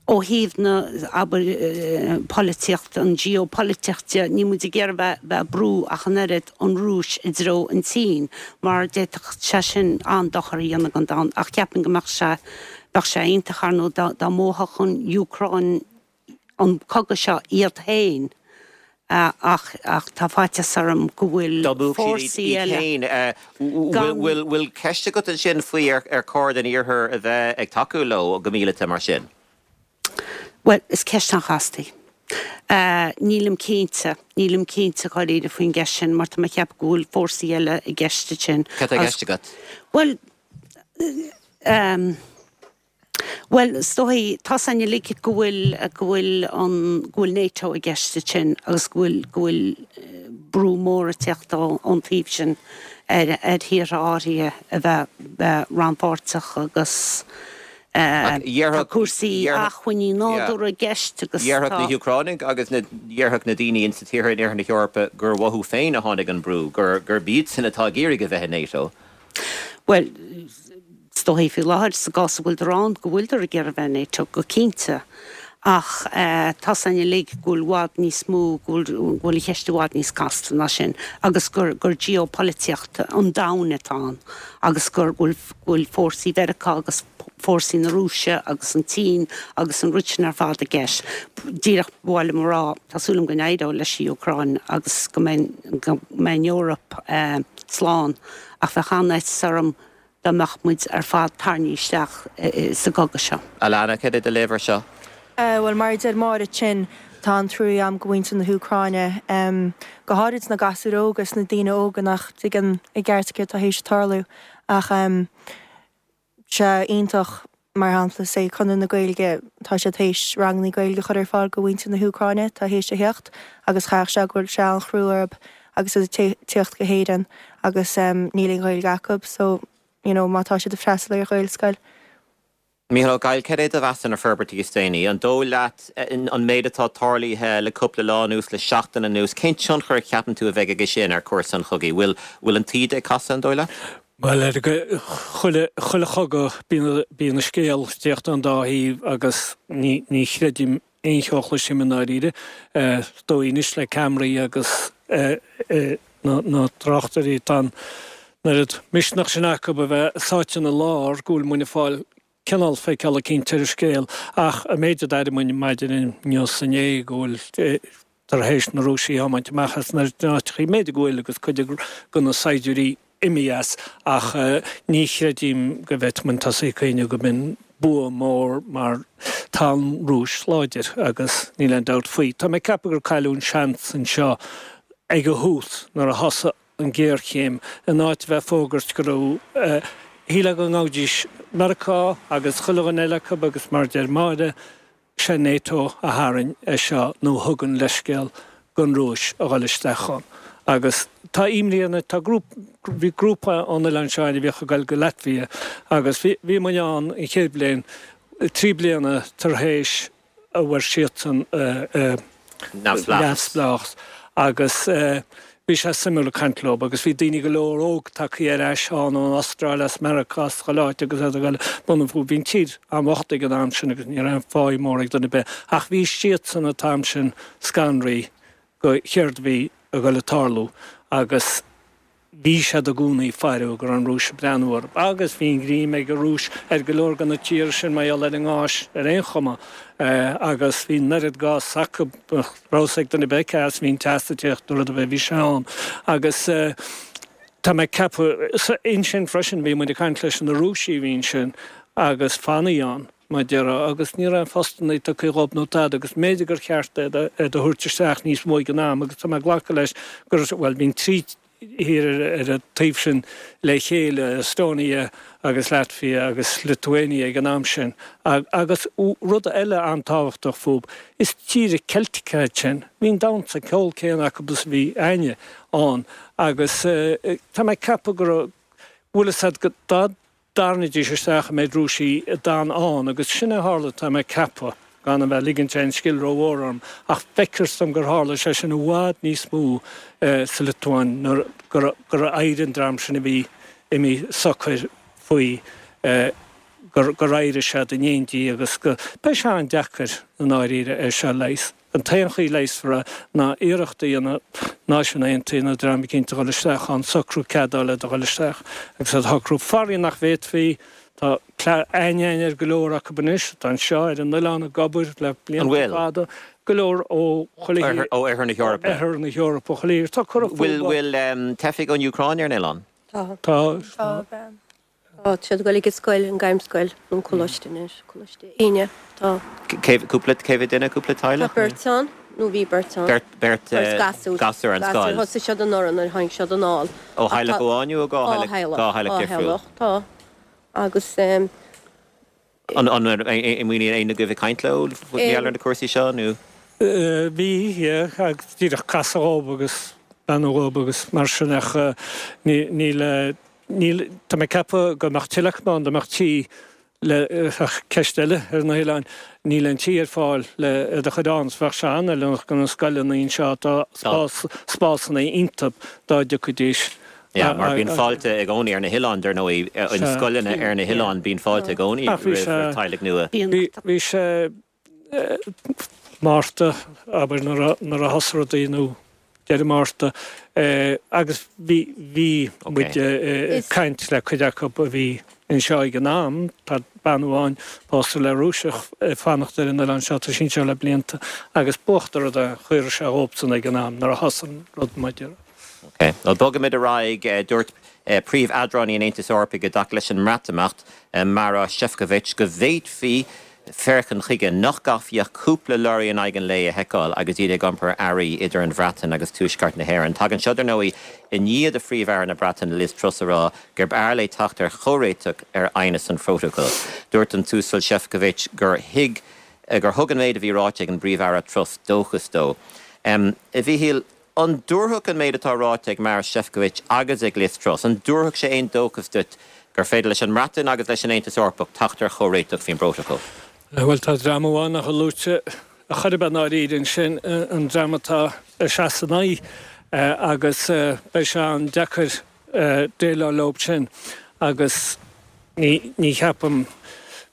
ó thaobh na, abair, polaitíocht, an geopolaitíocht de, níl muid ag iarraidh bheith ag brú ach an oiread an Rúis i dtreo an tSín, mar d'fhéadfadh sé sin an-dochar a dhéanamh don domhan. Ach ceapaim go mbeadh sé Bheadh sé iontach, ar ndóigh, dá mbuafadh an Úcráin an cogadh seo iad féin ach ach tá faitíos orm go bhfuil Dá mbuafadh siad fórsaí iad eile féin, gan. bhfuil ceist agat ansin faoi ar chóir don Iarthar a bheith ag tacú leo go míleata mar sin? Bhuel, is ceist an-chasta í. Nílim cinnte, nílim cinnte dháiríre faoin gceist sin mar tá mé ag ceapadh go bhfuil fórsaí eile i gceist ansin. Cad tá i gceist agat? Bhuel, Bhuel, is dóigh, tá 's againn uilig go bhfuil, go bhfuil an, go bhfuil NATO i gceist ansin agus go bhfuil, go bhfuil brú mór ag teacht ón taobh sin ar, ar thíortha áirithe a bheith, bheith rannpháirteach agus tá cúrsaí acmhainní nádúrtha i gceist agus tá. Dhéarfadh na hÚcránaigh agus na, dhéarfadh na daoine insa tíortha in Iarthar na hEorpa gur uathu féin a tháinig an brú, gur, gurb iadsan atá ag iarraidh a bheith i NATO. Bhuel, is dóigh faoi láthair, sa gcás a bhfuiltear ann, go bhfuiltear ag iarraidh bheith i NATO, go cinnte. Ach tá 's againn uilig go bhfuil i bhfad níos mó, go bhfuil, go bhfuil an cheist i bhfad níos casta ná sin agus gur, gur geopholaitíocht an domhain atá ann agus gur, go bhfuil, go bhfuil fórsaí Mheiriceá agus fórsaí na Rúise agus an tSín agus an rud sin ar fad i gceist. Díreach ba mhaith liom a rá, tá súil agam go n-éireoidh leis an Úcráin agus go mbeidh, go mbeidh an Eoraip slán ach bheadh an-fhaitíos orm dá mbeadh muid ar fad tarraingthe isteach sa gcogadh seo. Alana, cad é do léamh ar seo? Bhuel, mar a deir Máire ansin, tá an-trua agam go mhuintir na hÚcráine, go háirid na gasúir óga is na daoine óga nach dtuigeann i gceart céard atá théis tarlú. Ach sé iontach, mar shampla, say Conradh na Gaeilge, tá siad théis rangannaí Gaeilge a chur ar fáil go mhuintir na hÚcráine atá théis a theacht agus chaithfeadh sé go bhfuil sé an-chrua orthu agus iad ag tíocht go hÉirinn agus níl aon Ghaeilge acu so, you know, má tá siad ag freastal ar Ghaelscoil. Mícheál Ó Gabhla, cad é do mheas ar na forbairtí is déanaí? An dóigh leat an méid atá tarlaithe le cúpla lá anuas, le seachtain anuas, cén tionchar a cheapann tú a bheidh aige sin ar chúrsa an chogaidh? Bhfuil, bhfuil an taoide ag casadh, an dóigh leat? Bhuel, ar chuile, chuile chogadh bíonn, bíonn an scéal ag tíocht ón dá thaobh agus ní, ní chreidim aon cheo a chloisim i ndáiríre. Is dóigh anois le ceamaraí agus na, na tráchtairí, tá an oiread misneach sin acu a bheith sáite ina lár go bhfuil muinn ag fáil cineál feiceáil eicínt ar an scéal ach an méid a d'airigh muinn maidin inniu is inné go bhfuil tar éis na Rúisigh a thiomáint amach as na áiteachaí, b'fhéidir go bhfuil agus cuid de na saighdiúirí imithe as ach ní chreidim go bhféadfadh muinn tosaí ag cuimhneamh go mb'in bua mór mar tá an Rúis láidir agus níl aon dabht faoi. Tá mé ag ceapadh gur cailleadh an seans anseo ag an thús nuair a thosaigh an ghéarchéim, in áit a bheith ag fógairt go raibh, shílfeá go ngabhfaidís Meiriceá agus chuile dhuine eile acu agus mar a deir Máire, sé NATO a tharraing é seo nó thug an leithscéal don Rúis a dhul isteach ann. Agus tá imní orm, tá grúpa, bhí grúpa ón oileán seo againn a bhíodh ag dul go Latvia agus bhí, bhí muinn ann an chéad bhliain, 3 bliana tar éis a bhfuair siadsan neamhspleáchas agus bhí sé suimiúil ag caint leo agus bhí daoine go leor óg tagtha ar ais ann ón Astráil, as Meiriceá, as chuile áit agus iad ag dul bunú fúthu. Bhí an tír an-bhocht ag an am sin agus ní raibh aon pháí mór ag duine ar bith ach bhí siadsan an t-am sin scanraithe go chéard a bhí ag dul ag tarlú agus. Bhí siad i gcónaí ag faire go raibh an Rúis ag breathnú orthu agus bhí an ghreim ag an Rúis ar go leor de na tíortha sin mar gheall ar an ngás ar aon chuma agus bhí an oiread gás acu nach raibh fhios ag duine ar bith cé as a bhí an teas ag tíocht nó rud ar bith, bhí sé ann agus tá mé ag ceapadh ansin freisin bhí muid ag caint leis na Rúisigh a bhí ansin agus fanaithe ann. mar a déarfá, agus ní raibh aon phostanna tugtha dhóibh nó tada agus mb'fhéidir gur cheart iad a thabhairt isteach níos mó ag an am agus tá mé ag glacadh leis gur, bhuel, bhí an trí thír ar an taobh sin le chéile, Estonia agus Latvia agus Lithuania ag an am sin. Agus rud eile an-tábhachtach fúb, is tíortha Ceilteacha iad sin, bhí an damhsa ceol céanna acu is a bhí a'inne ann agus tá mé ag ceapadh go raibh, bhfuil fhios a'd, go, dá dtarraingídís isteach an méid Rúisigh a d'fhan ann, agus sin é a tharla, tá mé ag ceapadh, gan a bheith ag ligint aon scil rómhór orm, ach feictear dom gur tharla sé sin i bhfad níos mó sa Liotuáin nuair gur éirigh an dream sin a bhí imithe socair faoi, gur éirigh siad in éindí agus go, beidh sé an-deacair i ndáiríre é seo a leigheas. An t-aon chaoi leigheasfar é ná iarracht a dhéanamh Náisiúin Aontaithe nó dream eicínt a dhul isteach ann, socrú cead a fháil le do dhul isteach agus iad a shocrú. Faraor nach bhféadfaí, tá aithne againn ar go leor acu anois atá anseo ar an oileán ag obair le blianta fada, go leor ó chuile thír, Ó Oirthear na hEorpa. Oirthear na hEorpa, chuile thír. Tá curtha fúthu. Bhfuil teifigh ón Úcráin ar an oileán? Tá. Tá. Tá siad ag dul ag an scoil, an Gairmscoil, nó an coláiste anois, Coláiste Éinne. Tá. Cé, cúpla, cé mhéad duine, cúpla teaghlach? Tá beirt ann, nó bhí beirt ann. Beirt, beirt, Beirt gasúr. gasúr ar an scoil. Gasúr, thosaigh siad anuraidh nuair a tháinig siad anall. Ó theaghlach amháin nó ó dhá theaghlach, dhá theaghlach difriúil? Dhá theaghlach, tá. Agus eh. An, an, an mbíonn éinne agaibh ag caint leo mar gheall ar na cúrsaí seo nó? Bhí, yeah, agus díreach casadh dhób agus beannú dhób agus mar sin ach ní, níl, níl, tá mé ag ceapadh go mbeadh tuilleadh acu ann dá mbeadh tí le, ach ceist eile ar na hoileáin, níl aon tí ar fáil le iad a chur ann, so bheadh sé an-fheiliúnach do na scoileanna anseo atá spás, spásanna iontu dá dtiocfaidís. Yeah, mar bíonn fáilte i gcónaí ar na hoileáin, dar ndóigh, in scoileanna ar na hoileáin bíonn fáilte i gcónaí roimh teaghlaigh nua. Bhí sé Márta, abair, nuair a thosaigh rudaí nó deireadh Márta, agus bhí, bhí muid ag caint le cuid acu a bhí anseo ag an am, tá bean amháin pósta le Rúiseach ag fanacht ar an oileán seo, tá sí anseo le blianta, agus b'uachtar rud é, chuir sé dhóibhsean ag an am nuair a thosaigh an rud maidir. Ok. Bhuel, bogaimid ar aghaidh. Dúirt príomh-eadránaí an Aontais Eorpaigh i dtaca leis an mBreatimeacht, Maroš Šefčovič, go bhféadfaí féachaint chuige nach gcaithfí ach cúpla leoraí in aghaidh an lae a sheiceáil agus iad ag iompar earraí idir an Bhreatain agus Tuaisceart na hÉireann. Tagann seo, dar ndóigh, i ndiaidh do Phríomh-Aire na Breataine Liz Truss a rá gurb fhearr léi teacht ar chomhréiteach ar aighneas an phrótacail. Dúirt an tUasal Šefčovič gur thuig gur thug an méid a bhí ráite ag an bPríomh-Aire Truss dóchas dó. A Mhíchíl, An dtabharfadh an méid atá ráite ag Maroš Šefčovič agus ag Liz Truss, an dtabharfadh sé aon dóchas duit gur féidir leis an mBreatain agus leis an Aontas Eorpach teacht ar chomhréiteach faoin bprótacal? Bhuel, tá dream amháin nach bhfuil luaite ar chor ar bith i ndáiríre ansin, an dream atá ag seasamh ina aghaidh, agus beidh sé an-deacair déileáil leo sin agus ní, ní cheapaim,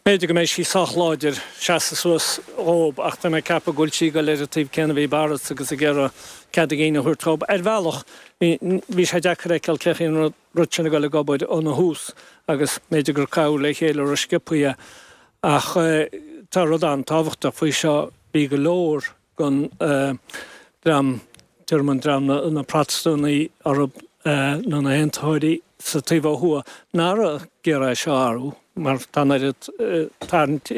b'fhéidir go mbeidh sí sách láidir seasamh suas dhób ach tá mé ag ceapadh go bhfuil sí ag dul ar an taobh céanna a bhí Boris agus ag iarraidh cead a gcinn a thabhairt dhób. Ar bhealach, bhí, bhí sé deacair a fheiceáil cén chaoi an rud sin ag dul ag obair óna thús agus b'fhéidir gur caitheadh le chéile rósciobtha é ach tá rud an-tábhachtach faoi seo, bhí go leor den dream, deirim an dream, na Protastúnaigh orthu nó na hAontaitheoirí sa taobh ó thuaidh, nach raibh ag iarraidh é seo a athrú mar tá an oiread tarraingt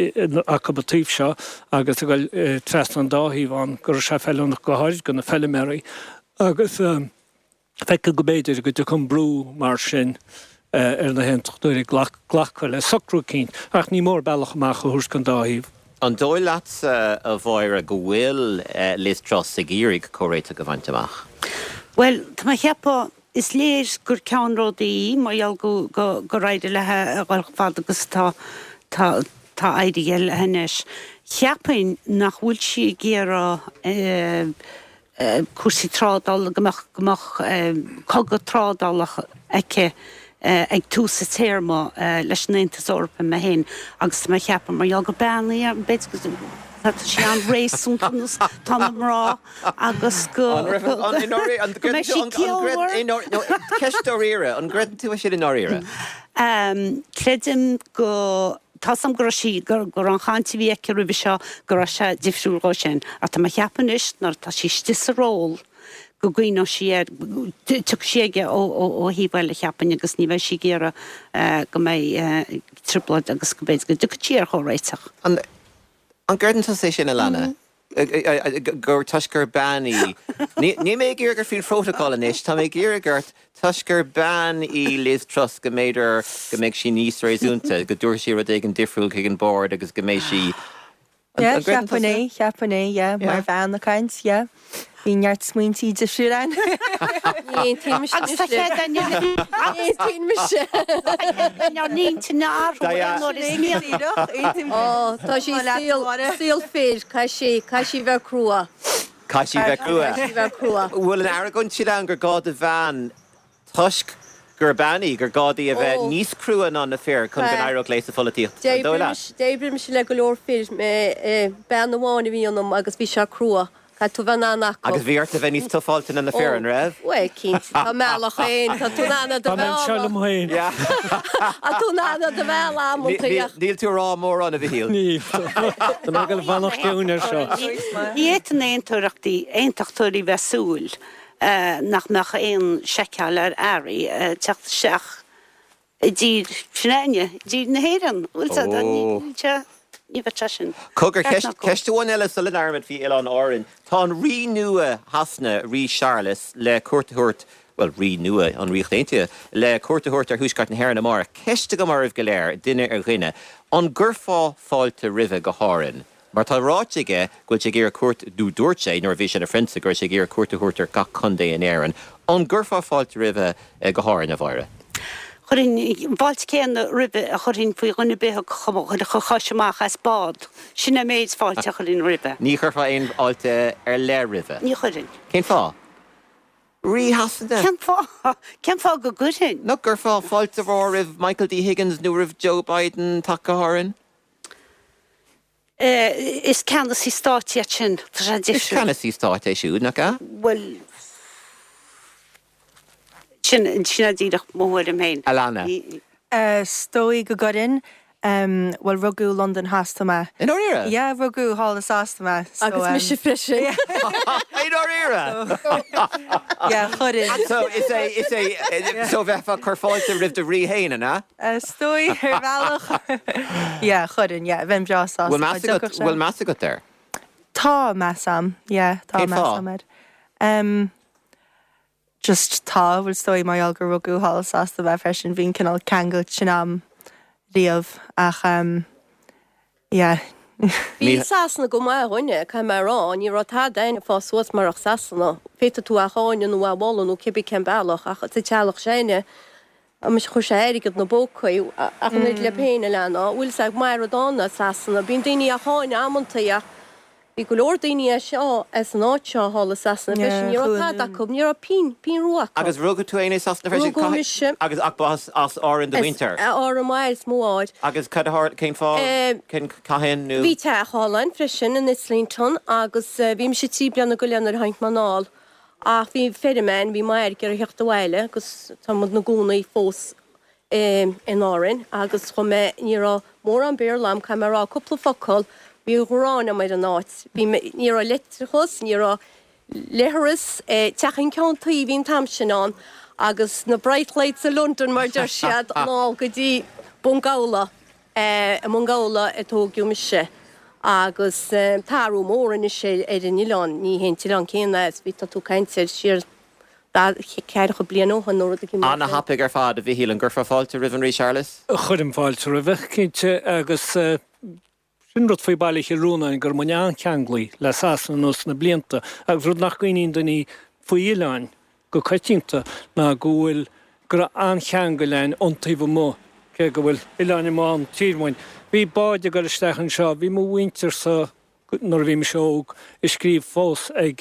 acu an taobh seo agus ag dul trasna an dá thaobh ann go raibh sé feiliúnach go háirid do na feiliméaraí agus Feictear go mb'fhéidir go dtiocfaidh an brú mar sin ar na hAontachtóirí glacadh le socrú eicínt, ach ní mór bealach amach a thabhairt don dá thaobh. An dóigh leatsa, a Mháire, go bhfuil Liz Truss ag iarraidh comhréiteach a bhaint amach? Bhuel, tá mé a cheapadh, is léir gur ceannródaí í mar gheall go, go, gur éirigh léi a dhul chomh fada agus atá, tá, tá éirithe léi anois. Cheapfainn nach bhfuil sí ag iarraidh eh, cúrsaí trádála, go mbeadh, go mbeadh cogadh trádála aici ag tús a téarma leis an Aontas Eorpach mé féin agus tá mé a cheapadh mar gheall gur bean í, b'fhéidir go. Tá sí an-réasúnta nós tá na mná agus go go mbeidh sí ciallmhar. Ceist dáiríre, an gcreideann tú é sin i ndáiríre? Creidim go, tá 's a'm go raibh sí, go raibh an chaint a bhí aici roimhe seo, go raibh sé difriúil dhó sin. Ach tá mé a cheapadh anois nuair atá sí istigh sa ról go gcuimhneoidh sí air, tiocfaidh sí aige ó thaobh eile cheapfainn agus ní bheidh sí ag iarraidh go mbeidh trioblóid agus go b'fhéidir go dtiocfaidh sí ar chomhréiteach. An gcreideann tusa é sin, Alannah? Gur toisc gur bean í. Níl mé ag iarraidh ort faoin phrótacal anois, tá mé ag iarraidh ort toisc gur bean í Liz Truss go mb'fhéidir go mbeidh sí níos réasúnta, go dtabharfaidh sí rud éigin difriúil chuig an bord agus go mbeidh sí. Yeah, cheapfainn é, cheapfainn é, yeah, mar bhean ag caint, yeah. Bhí neart smaointí difriúil ann. Ní aontaím mise Agus tá cead againn Ní aontaím mise. Tá cead againn ár n-intinn a athrú aon uair is mian. Díreach, aontaím. Ó, tá sí saol, saol fir, caithfidh sí, caithfidh sí bheith crua. Caithfidh sí bheith crua. Caithfidh sí bheith crua. Bhfuil an argóint sin ann gur gá do bhean Toisc gur bean í, gur gá di a bheith níos crua ná na fir chun go n-éireodh léi sa pholaitíocht. An dóigh leat? D'oibrigh mise le go leor fir, bean amháin a bhí ionam agus bhí sé crua. Caithfidh tú bheith in ann acu. Agus bhí ort a bheith níos tufáilte ná na fir, an raibh? Bhuel, cinnte, tá mbealach féin, tá tú in ann do Tá mé anseo liom féin. Tá tú in ann do bhealach amantaí ach. Níl tú ag rá mórán, a Mhichíl. Níl. Tá mé ag dul a fanacht ciúin air seo. Ní fhéadfadh na aontachtóirí bheith ag súil nach mbeadh aon seiceáil ar earraí ag teacht isteach i dtír s'againne, i dtír na hÉireann. Bhfuil sé, níl sé, ní bheadh sé sin. Cogar, ceist amháin eile sula labhraímid faoi Oileáin Árann. Tá an Rí nua Shasana, Rí Séarlas, le cuairt a thabhairt, bhuel, Rí nua an Ríocht Aontaithe, le cuairt a thabhairt ar Thuaisceart na hÉireann amárach. Ceist agam oraibh go léir, duine ar dhuine, an gcuirfeá fáilte roimhe go hÁrainn? Mar tá ráite aige go bhfuil sé ag iarraidh cuairt, nó dúirt sé nuair a bhí sé ina phrionsa go raibh sé ag iarraidh cuairt a thabhairt ar gach contae in Éirinn. An gcuirfeá fáilte roimhe go hÁrainn, a Mháire? Chuirfinn an fáilte céanna roimhe a chuirfinn faoi dhuine ar bith a chuirfeadh a chois amach as bád. Sin an méid fáilte a chuirfinn roimhe. Ní chuirfeá aon fháilte ar leith roimhe? Ní chuirfinn. Cén fáth? Rí Shasana? Cén fáth? Cén fáth go gcuirfinn? Nach gcuirfeá fáilte mhór roimh Michael D Higgins nó roimh Joe Biden teacht go hÁrainn? Is ceannasaí stáit iad sin. Tá sé difriúil. Is ceannasaí stáit é siúd, nach ea? Bhuel, sin, sin é díreach mo thuairim féin. Alannah. Is dóigh go gcuirfinn. Bhuel, rugadh i Londain Theas mé. I ndáiríre? Yeah, rugadh thall i Sasana mé. So, Agus mise freisin. I ndáiríre? Yeah, chuirfinn. So, is é, is é, so bheifeá ag cur fáilte roimh do rí féin, an ea? Is dóigh, ar bhealach. Yeah, chuirfinn, yeah, bheinn breá sásta dá dtiocfadh sé. Bhfuil meas agat air? Tá meas a'm, yeah, tá Cén meas fáth? a'm air. Em, just tá, bhuel is dóigh mar gheall gur rugadh thall i Sasana mé freisin, bhí an cineál ceangal sin a'm riamh ach em, yeah. Bhí Sasana go maith dhúinne, caithfidh mé a rá, ní raibh tada againn ag fás suas marach Sasana. Féadfaidh tú é a cháineadh nó é a mholadh nó cibé cén bealach ach sa teaghlach s'againne, Muis chuir sé airgead 'na bpócaí ach an oiread libh féin, a Alannah, bhfuil 's a'd, maith rud ann é Sasana. Bíonn daoine á cháineadh amantaí ach bhí go leor daoine as seo, as an áit seo thall i Sasana freisin. Ní raibh tada acu, ní raibh pingin, pingin rua acu. Agus rugadh tú féin i Sasana freisin? Rugadh mise. Agus ach ba as Árainn do mhuintir? As Árainn mhaith is mo mháthair. Agus cad a tharla, cén fáth, cén, cathain nó? Bhí teach thall againn freisin in Islington agus bhí mise 3 bliana go leith nuair a tháinig mé anall. Ach bhí feirm againn, bhí m'athair ag iarraidh theacht abhaile agus tá muid 'na gcónaí fós in Árainn agus chuaigh mé, ní raibh mórán Béarla agam, caithfidh mé a rá, cúpla focal, bhí gráin agam ar an áit, bhí mé, ní raibh leictreachas, ní raibh leithreas, teachín ceann tuí a bhí an t-am sin ann agus na bright lights of London mar a deir siad, anall go dtí Bun Gabhla. I mBun Gabhla a tóigeadh mise agus tá athrú mór anois ar an oileán, ní hé an t-oileán céanna é is bhí, tá tú ag caint ar siar ceathracha bliain ó shin nó rud éigin mar sin. Ana-thapaidh ar fad, a Mhichíl, an gcuirfeá fáilte roimh an Rí Séarlas? Chuirfinn fáilte roimhe, cinnte, agus sin rud faoi Baile Chill Rónáin, go raibh muid an-cheanglaithe le Sasana anuas na blianta agus rud nach gcuimhníonn daoine faoi oileáin go coitianta ná go bhfuil, go raibh an-cheangal againn ón taobh amuigh, cé go bhfuil oileáin amuigh ann tír uainn. Bhí báid ag dul isteach anseo, bhí mo mhuintir-sa nuair a bhí mise óg ag scríobh fós ag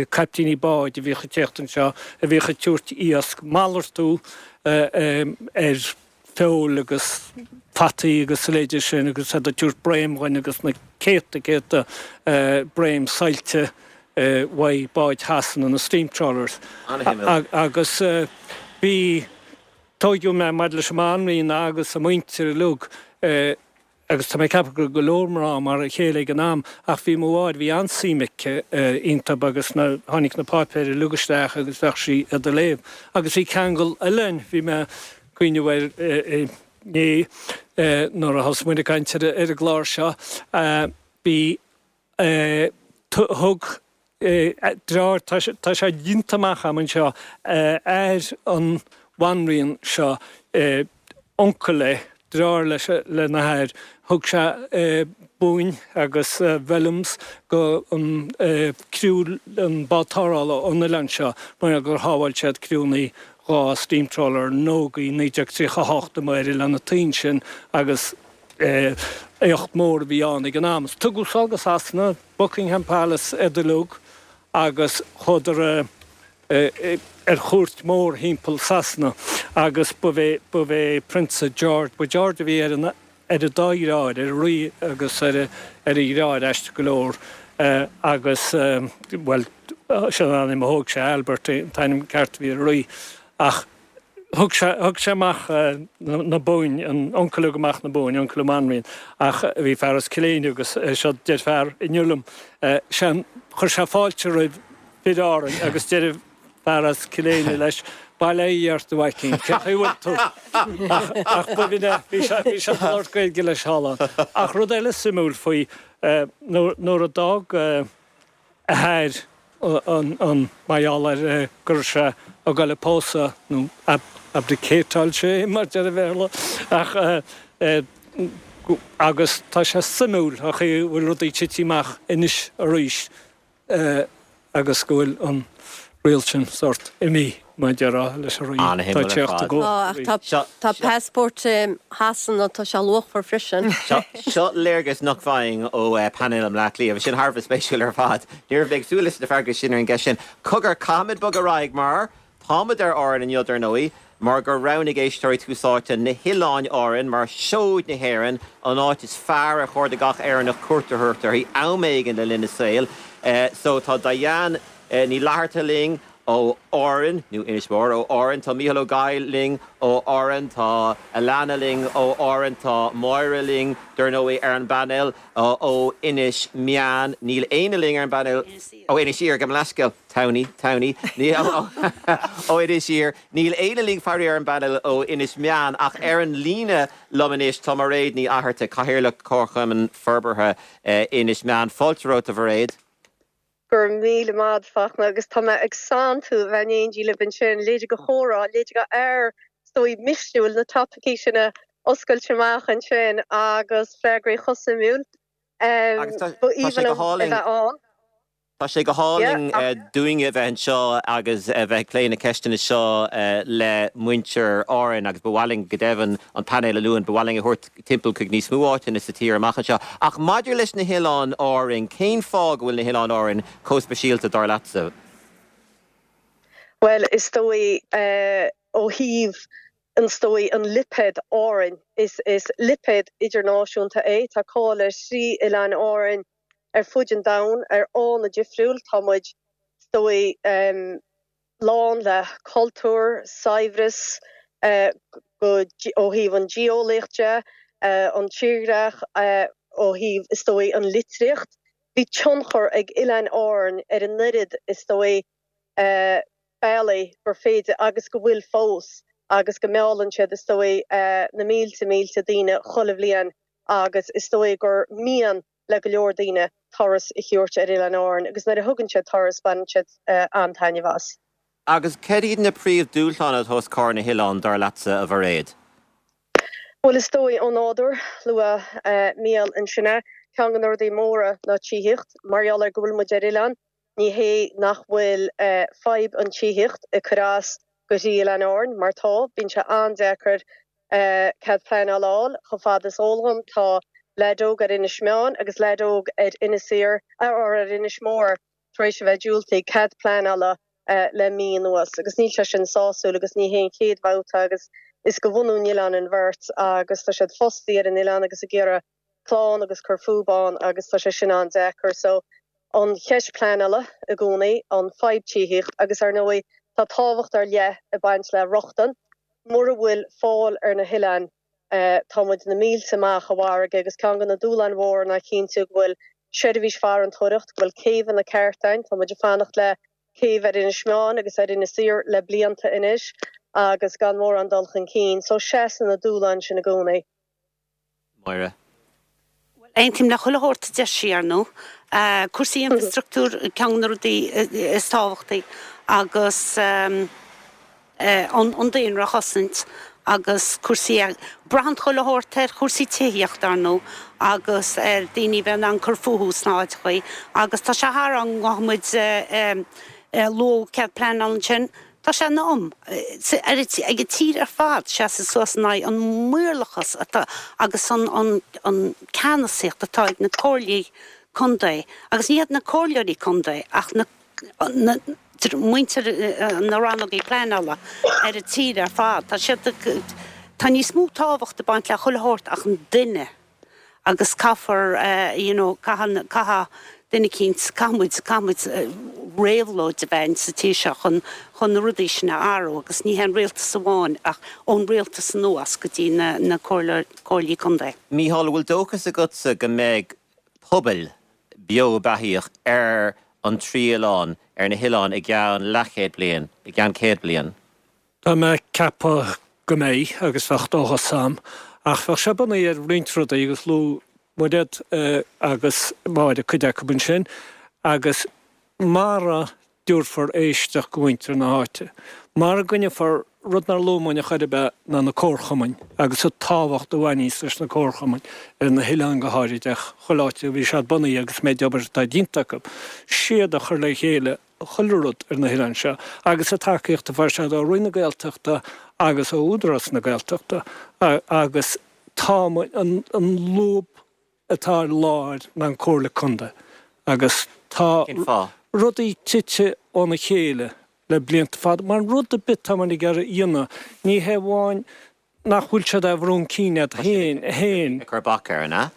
caiptíní báid a bhíodh ag tíocht anseo, a bhíodh ag tabhairt iasc, malartú ar. Feoil agus fataí agus a leithéide sin agus iad ag tabhairt broim dhuinn agus na céadta céadta broim saillte uaidh báid Shasana, na steam trawlers. Agus bhí, tóigeadh mé maidir leis an mBanríon agus a muintir uilig, Agus tá mé ag ceapadh go raibh go leor mná mar a chéile ag an am, ach bhí mo mháthair, bhí an-suim aici iontub agus na, tháinig na páipéir uilig isteach agus bheadh sí iad a léamh. Agus bhí ceangal eile ann, bhí mé ag cuimhneamh air inné nuair a thosaigh muid ag caint ar an gclár seo, bhí, Thug deartháir, tá sé déanta amach agam anseo, athair an bhanríon seo, uncail é, deartháir leis lena hathair, thug sé boinn agus vellums go an criú an bád tarrthála ón oileán seo mar gur shábháil siad criúnna 2 steam trawler nógaí 1938 amuigh ar Oileán na Toinn sin agus Éacht mór a bhí ann ag an am. Tugadh sall go Sasana, Buckingham Palace iad uilig agus chuadar ar chuairt mhór thimpeall Sasana agus ba é Prionsa George, ba George a bhí ar an ar an dá dheartháir, ar an rí agus ar a dheartháir, aisteach go leor, agus, bhuel, sin an ainm a thóg sé, Albert an t-ainm ceart a bhí ar an rí, ach. Thug sé, thug sé amach na boinn, an uncail a thug amach na boinn, uncail an bhanríon, ach bhí fear as Cill Éinne agus seo deir fear inniu liom, sé, chuir sé fáilte roimh fir Árainn agus deir fear as Cill Éinne leis, Bail ó Dhia ort a mhaicín, cén chaoi a bhfuil tú? Ach, ach b'in é, bhí sé, bhí sé ag labhairt Gaeilge leis thall ann. Ach rud eile suimiúil faoi, nuair, nuair a d'fhág, a hathair an mar gheall ar go raibh sé ag dul ag pósadh, nó abdicateáil sé mar deir an Bhéarla, ach agus tá sé suimiúil an chaoi a bhfuil rudaí tite amach anois arís agus go bhfuil an riail sin sórt imithe, mar a déarfá, leis an rí. Tá teacht i gcomhair. Tá passport Shasana, tá sé luachmhar freisin. Seo léargas nach bhfaighinn ó painéal i mBleá Cliath. Bhí sin thar a bheith spéisiúil ar fad. Ní raibh mé ag súil leis na freagraí sin ar an gceist sin. Cogar, caithfimid bogadh ar aghaidh mar táimid ar Árainn inniu, dar ndóigh, mar gur roghnaigh éisteoirí Tús Áite na hOileáin Árann mar seoid na hÉireann, an áit is fearr ar chóir do gach Éireannach cuairt a thabhairt uirthi am éigin le linn a saoil. So tá Diane Ní Fhlatharta linn ó Árainn, nó Inis Mór, ó Árainn, tá Mícheál Ó Gabhla linn ó Árainn, tá Alana linn ó Árainn, tá Máire linn, dar ndóigh, ar an bpainéal ó Inis Meáin. Níl éinne linn ar an bpainéal ó Inis Oírr, gabh mo leithscéal, Townie, Townie, ó Inis Oírr. Níl éinne linn faraor ar an bpainéal ó Inis Meáin ach ar an líne liom anois tá Mairéad Ní Fhatharta, Cathaoirleach Chomharchumann Forbartha Inis Meáin. Fáilte romhat, a Mhairéad. Go raibh míle maith agat, Fachtna, agus tá mé ag santú a bheith in éindí libh ansin. Leithéide de chomhrá, leithéide de fhear, is dóigh, misniúil, na topaicí sin a oscailt amach ansin agus freagraí chomh suimiúil. Agus tá Ba sé aoibhinn go liom a hálainn. bheith ann. Tá sé go hálainn dúinne a bheith anseo agus a bheith ag plé na ceisteanna seo le muintir Árann agus ba mhaith linn, go deimhin, an painéal a luann, ba mhaith linn a thabhairt timpeall chuig níos mó áiteanna sa tír amach anseo. Ach maidir leis na hOileáin Árainn, cén fáth go bhfuil na hOileáin Árainn chomh speisialta, dar leatsa? Bhuel, is dóigh, ó thaobh, is dóigh, an lipéad Árainn, is lipéad idirnáisiúnta é. Tá cáil ar thrí Oileáin Árainn ar fuid an domhain ar fháthanna difriúil. Tá muid, is dóigh, lán le cultúr, saibhreas ó thaobh an geolaíocht de, an tírdhreach, ó thaobh, is dóigh, an litríocht. Bhí tionchar ag Oileáin Árann ar an oiread, is dóigh, bealaí gur féidir agus go bhfuil fós agus go meallann siad, is dóigh, na mílte mílte daoine chuile bhliain agus is dóigh gur mian le go leor daoine turas a thabhairt ar Oileáin Árann agus nuair a thugann siad turas baineann siad an-taitneamh as. Agus cad iad na príomhdhúshláin atá os comhair na hoileán, dar leatsa, a Mhairéad? Bhuel, is dóigh, ó nádúr, luaigh Mícheál ansin é, ceann de na rudaí móra ná tithíocht. Mar gheall ar go bhfuil muid ar oileán, ní hé nach bhfuil fadhb an tithíocht ag cur as go thrí Oileáin Árann, mar tá, bíonn sé an-deacair cead pleanála a fháil. Chomh fada is eol dhom, tá leaid óg ar Inis Meáin agus leaid óg ar Inis Oírr, or ar Inis Mór tar éis a bheith diúltaithe cead pleanála le mí anuas agus níl sé sin sásúil agus ní hé an chéad bhabhta agus. Is de bhunú an oileáin an bheirt agus tá siad fostaí ar an oileán agus ag iarraidh clann agus cur fúb ann agus tá sé sin an-deacair. So, an cheist pleanála i gcónaí, an fadhb tithíocht agus ar ndóigh tá tábhacht ar leith ag baint le rochtain. Mura bhfuil fáil ar na hoileáin tá muid na mílte amach i bhfarraige agus ceann de na dúshláin mhóra ná cinntiú go bhfuil seirbhís farantóireacht, go bhfuil céibheanna ceart ann. Tá muid ag fanacht le céibh ar Inis Meáin agus ar Inis Oírr le blianta anois agus gan mórán dul chun cinn. So seasann na dúshláin sin i gcónaí. Máire. Bhuel, aontaím le chuile shórt a deir sí, ar ndóigh. Cúrsaí infrastruchtúir ceann de na rudaí is tábhachtaí agus an daonra a chosaint agus cúrsaí, braitheann chuile shórt ar chúrsaí tithíochta, ar ndóigh, agus ar daoine a bheith in ann cur fúthu sna háiteachaí agus tá sé thar am go bhfaighidh muid luath cead pleanála ansin. Tá sé in am ag an tír ar fad seasamh suas in aghaidh an maorlachas atá agus an ceannasaíocht atá ag na comhairlí contae agus ní hiad na comhairleoirí contae ach na muintir na rannógaí pleanála ar an tír ar fad. Tá siad, tá níos mó tábhacht ag baint le chuile shórt ach an duine agus caithfear you know caithfidh, caithfidh duine eicínt, caithfidh muid, caithfidh muid réabhlóid a bheith ann sa tír seo chun, chun na rudaí sin a athrú agus ní hé an rialtas amháin ach ón rialtas anuas go dtí na, na comhairle, comhairlí contae. Mícheál, an bhfuil dóchas agatsa go mbeidh pobail beo beathaíoch ar an trí oileán, ar na hoileáin i gceann leathchéad bliain, i gceann 100 bliain? Tá mé ag ceapadh go mbeidh, agus bheadh dóchas a'm. Ach bheadh sé bunaithe ar roinnt rudaí, agus luaigh Mairéad agus Máire cuid acu ansin, agus mara dtabharfar éisteacht go mhuintir na háite, mara gcoinneofar rud nár luaigh muid ar chor ar bith ná na comharchumainn agus an tábhacht a bhaineas leis na comharchumainn, ar na hoileáin go háirid, ach chuile áit a bhí siad bunaithe agus méid obair atá déanta acu, siad a chur le chéile chuile rud ar na hoileáin seo agus an tacaíocht a fuair siad ó Roinn na Gaeltachta agus ó Údarás na Gaeltachta agus tá an lúb atá ar lár ná an Comhairle Contae agus tá rudaí tite óna chéile le blianta fada mar rud ar bith atá muid ag iarraidh a dhéanamh ní hé amháin nach bhfuil siad á bhrú chun cinn iad féin. Ag cur bac air, an ea?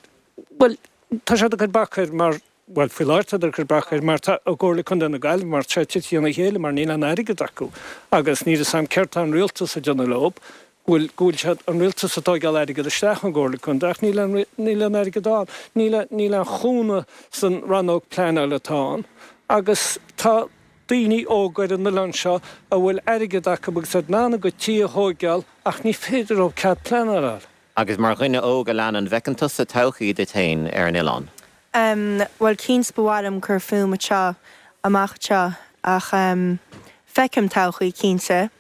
Bhuel, tá siad ag cur bac air mar, bhuel, faoi láthair tá siad ag cur bac air mar tá i gComhairle Contae na Gaillimhe mar tá sé tite óna chéile mar níl aon airgead acu agus níl fhios a'm céard tá an rialtas ag déanamh leo, go bhfuil, go bhfuil siad, an rialtas ag tóigeáil airgead isteach ón gComhairle Contae ach níl aon, níl aon airgead ann, níl, níl aon chúnamh san rannóg pleanála atá ann agus tá daoine óga ar an oileán seo a bhfuil airgead acu agus iad in ann a gcuid tí a thóigeáil ach ní féidir leo cead pleanála a fháil. Agus mar dhuine óg a leanann, an bhfeiceann tusa todhchaí duit féin ar an oileán? Em, bhuel cinnte ba mhaith liom cur fúm anseo, amach anseo ach em, feicim todhchaí cinnte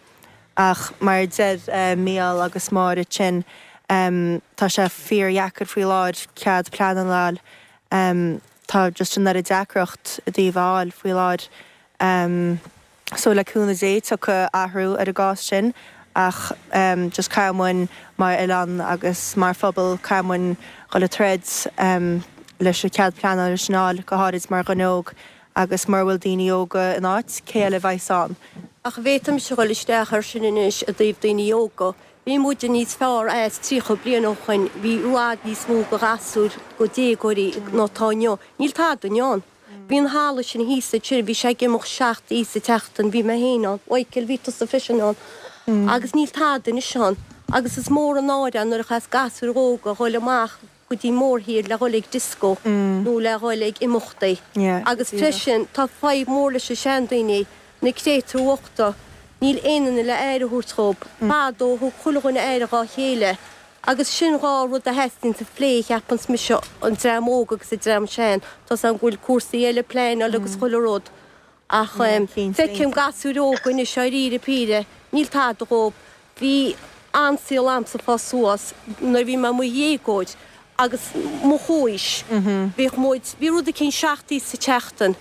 ach mar a deir eh Mícheál agus Máire ansin em, tá sé fíor-dheacair faoi láthair cead pleanála a fháil em, Tá just an oiread deacracht i dtaobh a fháil faoi láthair so le cúnamh Dé tiocfaidh athrú ar an gcás sin ach just caithfidh muid mar oileán agus mar phobal caithfidh muid dhul ag troid leis an cead pleanála sin a fháil go háirid mar dhuine óg agus mura bhfuil daoine óga in áit cé eile a bheas ann? Ach bhféadfaimis a dhul isteach ar sin anois i dtaobh daoine óga. Bhí muide níos fearr as 30 bliain ó shoin, bhí i bhfad níos mó go ghasúir, go déagóirí ná tá inniu. Níl tada inniu ann. Bhí an halla sin thíos ansin, bhí sé ag imeacht seacht oíche sa tseachtain, bhí mé féin ann, Mhichael, bhí tusa freisin ann. Agus níl tada anois ann. Agus is mór an náire é nuair a chaithfeas gasúir óga dhul amach go dtí mórthír le dhul ag disco nó le dhul ag imeachtaí. Agus freisin tá fadhb mór leis na seandaoine, na créatúir bhochta, níl aon duine le aire a thabhairt dhób. Fadó thug chuile dhuine aire dhá chéile agus sin dhá rud a theastaíonn sa phlé cheapanns mise, an dream óg agus an dream sean. Tá's agam go bhfuil cúrsaí eile pleanáil agus chuile rud Ach feicim gasúir óga anois dáiríre píre, níl tada dhób. Bhí an-saol a'msa fás suas nuair a bhí mé i mo dhéagóir agus mo chomhaois. Bhíodh muid, bhí rud eicínt seacht oíche sa tseachtain.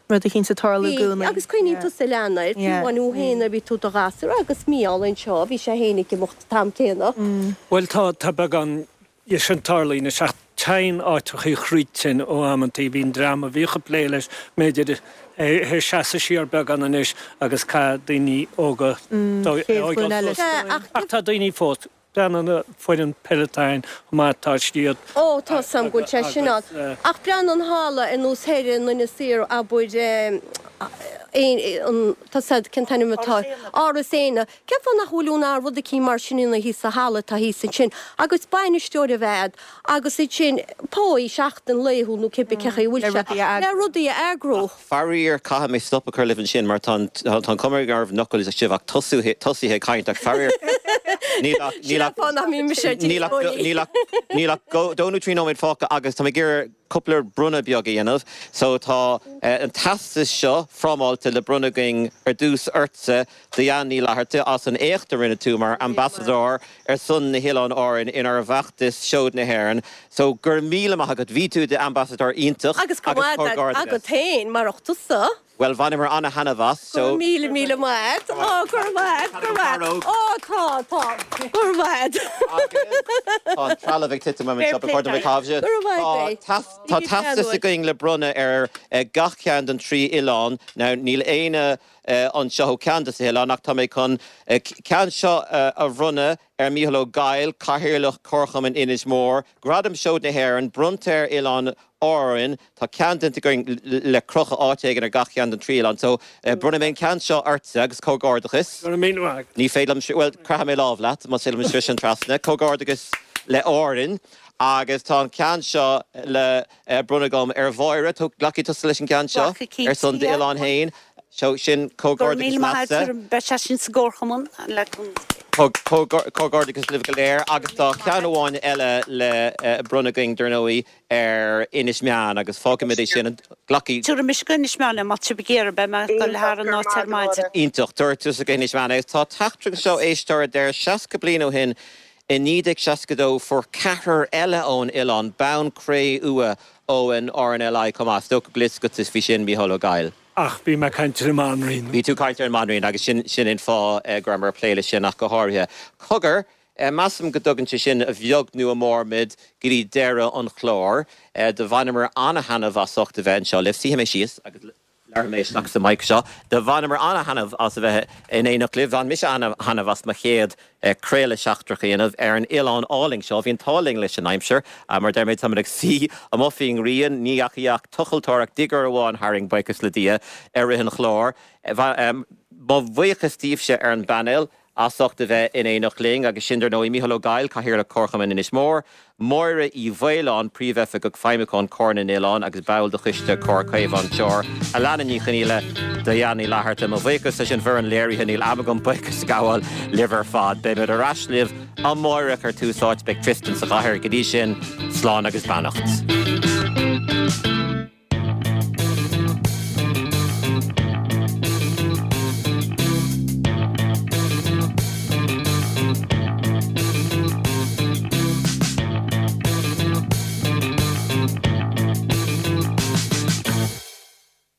Rud eicínt ag tarlú i Bhí, gcónaí. agus cuimhníonn tusa a Leana air, fiú amháin thú féin nuair a bhí tú i do ghasúr agus Mícheál anseo, bhí sé féin ag imeacht an t-am céanna. Bhuel tá, tá beagán dhe sin tarlaithe anois ach téann áiteachaí thríd tinn ó amantaí. Bhí an dream a bhíodh ag plé leis, b'fhéidir. Théis seasamh siar beagán anois agus caithfidh daoine óga Chéad ghlúin eile. Ach tá daoine fós, breathnaigh ar an bhfoireann peile atá againn chomh maith, tá siad. Ó, tá 's a'm go bhfuil sé sin ann. Ach breathnaigh an halla ar nós thoir in Inis Oírr, abair, an, tá 's a'd cén t-ainm atá, Áras Éanna. Cén fáth nach bhfuil aon rud eicínt mar sin ina thíos sa halla atá thíos ansin agus bainisteoir a bheith a'd agus ansin páí seachtain laethúil nó cibé cé chaoi a bhfuil sé le rudaí a eagrú. Faraor, caithfidh mé stop a chur libh ansin mar tá an chuma nach raibh an fhocal sibh ach tosaithe ag caint ach faraor níl ach Sin an fáth nach mbíonn mise ar díospóirí. níl ach dó nó trí nóiméad fágtha agus tá mé ag iarraidh cúpla bronnadh beag a dhéanamh. So tá an teastas seo frámáilte le bronnadh againn ar dtús ortsa Diane Ní Fhlatharta, as an éacht a rinne tú mar ambasadóir ar son na hOileáin Árann inár bhfeachtas Seoid na hÉireann. So, go raibh míle maith agat. Bhí tú i d'ambasadóir iontach Agus go raibh maith agat féin, marach tusa. Bhuel, bhaineamar ana-thaitneamh as, so. Go raibh míle, míle maith agat. Ó, go raibh maith agat, go raibh maith agat. Ó, tá, tá. Go raibh maith agat. Agus tá an trealamh ag titim uaim anseo, ba chóir dom é a chaitheamh. Go raibh maith agat. Tá teastas againn le bronnadh ar gach ceann den trí oileán. Now, níl éinne anseo ó cheann de na hoileáin ach tá mé chun ceann seo a bhronnadh ar Mícheál Ó Gaill, Cathaoirleach Comharchumann Inis Mór, Gradam Seoid na hÉireann, bronnta ar Oileáin Árann. Tá ceann déanta againn le crochadh áit éigin ar gach ceann den trí oileán. So, bronnfaidh mé an ceann seo ortsa agus comhghairdeachas. Go raibh míle maith agat. Ní féidir liom, bhuel, croithfidh mé lámh leat, más féidir liom sroiseadh trasna. Comhghairdeachas le Árainn agus tá an ceann seo le bronnadh agam ar Mháire. Glacfaidh tusa leis an gceann seo ar son d'oileáin féin. So sin comhghairdeachas leatsa. Beidh sé sin sa gcomharchumann le Comhghairdeachas libh go léir agus tá ceann amháin eile le bronnadh againn dar ndóigh ar Inis Meáin agus fágfaimid é sin. Glacfaidh. Tabharfaidh mise go Inis Meáin é má tá sibh ag iarraidh, beidh mé ag dul thar an áit ar maidin. Iontach. Tabharfaidh tusa go hInis Meáin é. Tá teachtaireacht anseo éisteoir a deir 60 bliain ó shin I 1962 fuair ceathrar eile ón oileán bonn cré-umha ón RNLI chomh maith. Is dócha go bhfuil fhios agat faoi sin, Mícheál Ó Gaill. Ach bhí mé ag caint ar an mBanríon. Bhí tú ag caint ar an mBanríon agus sin sin an fáth go rabhamar ag plé leis sin ach go háirithe. Cogar, measaim go dtugann sé sin a bheag nó a mhór muid go dtí deireadh an chláir. Do bhaineamar an-thaitneamh as ucht a bheith anseo libh. Suífidh mé síos agus. Labharfaidh mé isteach sa mic seo. Do bhaineamar ana-thaitneamh as a bheith in éineacht libh. Bhain mise ana-thaitneamh as mo chéad craoladh seachtrach a dhéanamh ar an oileán álainn seo. Bhí an t-ádh linn leis an aimsir. Mar a deir mé, táimid ag suí amuigh faoin ngrian. Ní dheachaigh ach tochaltóireacht digger amháin tharainn, buíochas le Dia, i rith an chláir. Mo bhuíochas daoibhse ar an bpainéal. as ucht a bheith in éineacht linn, agus sin, dar ndóigh, Mícheál Ó Gaill, Cathaoirleach Comharchumann Inis Mór, Máire Uí Mhaoláin, Príomhoifigeach Feidhmiúcháin Comhar na nOileán agus ball de Choiste Comhar Caomhán Tiar, Alana Ní Chonghaile, Diane Ní Fhlatharta. Mo bhuíochas leis an bhfoireann léirithe, níl am agam buíochas a ghabháil libh ar fad. Beimid ar ais libh amáireach ar Tús Áite, beidh Tristan sa chathaoir. Go dtí sin, slán agus beannacht.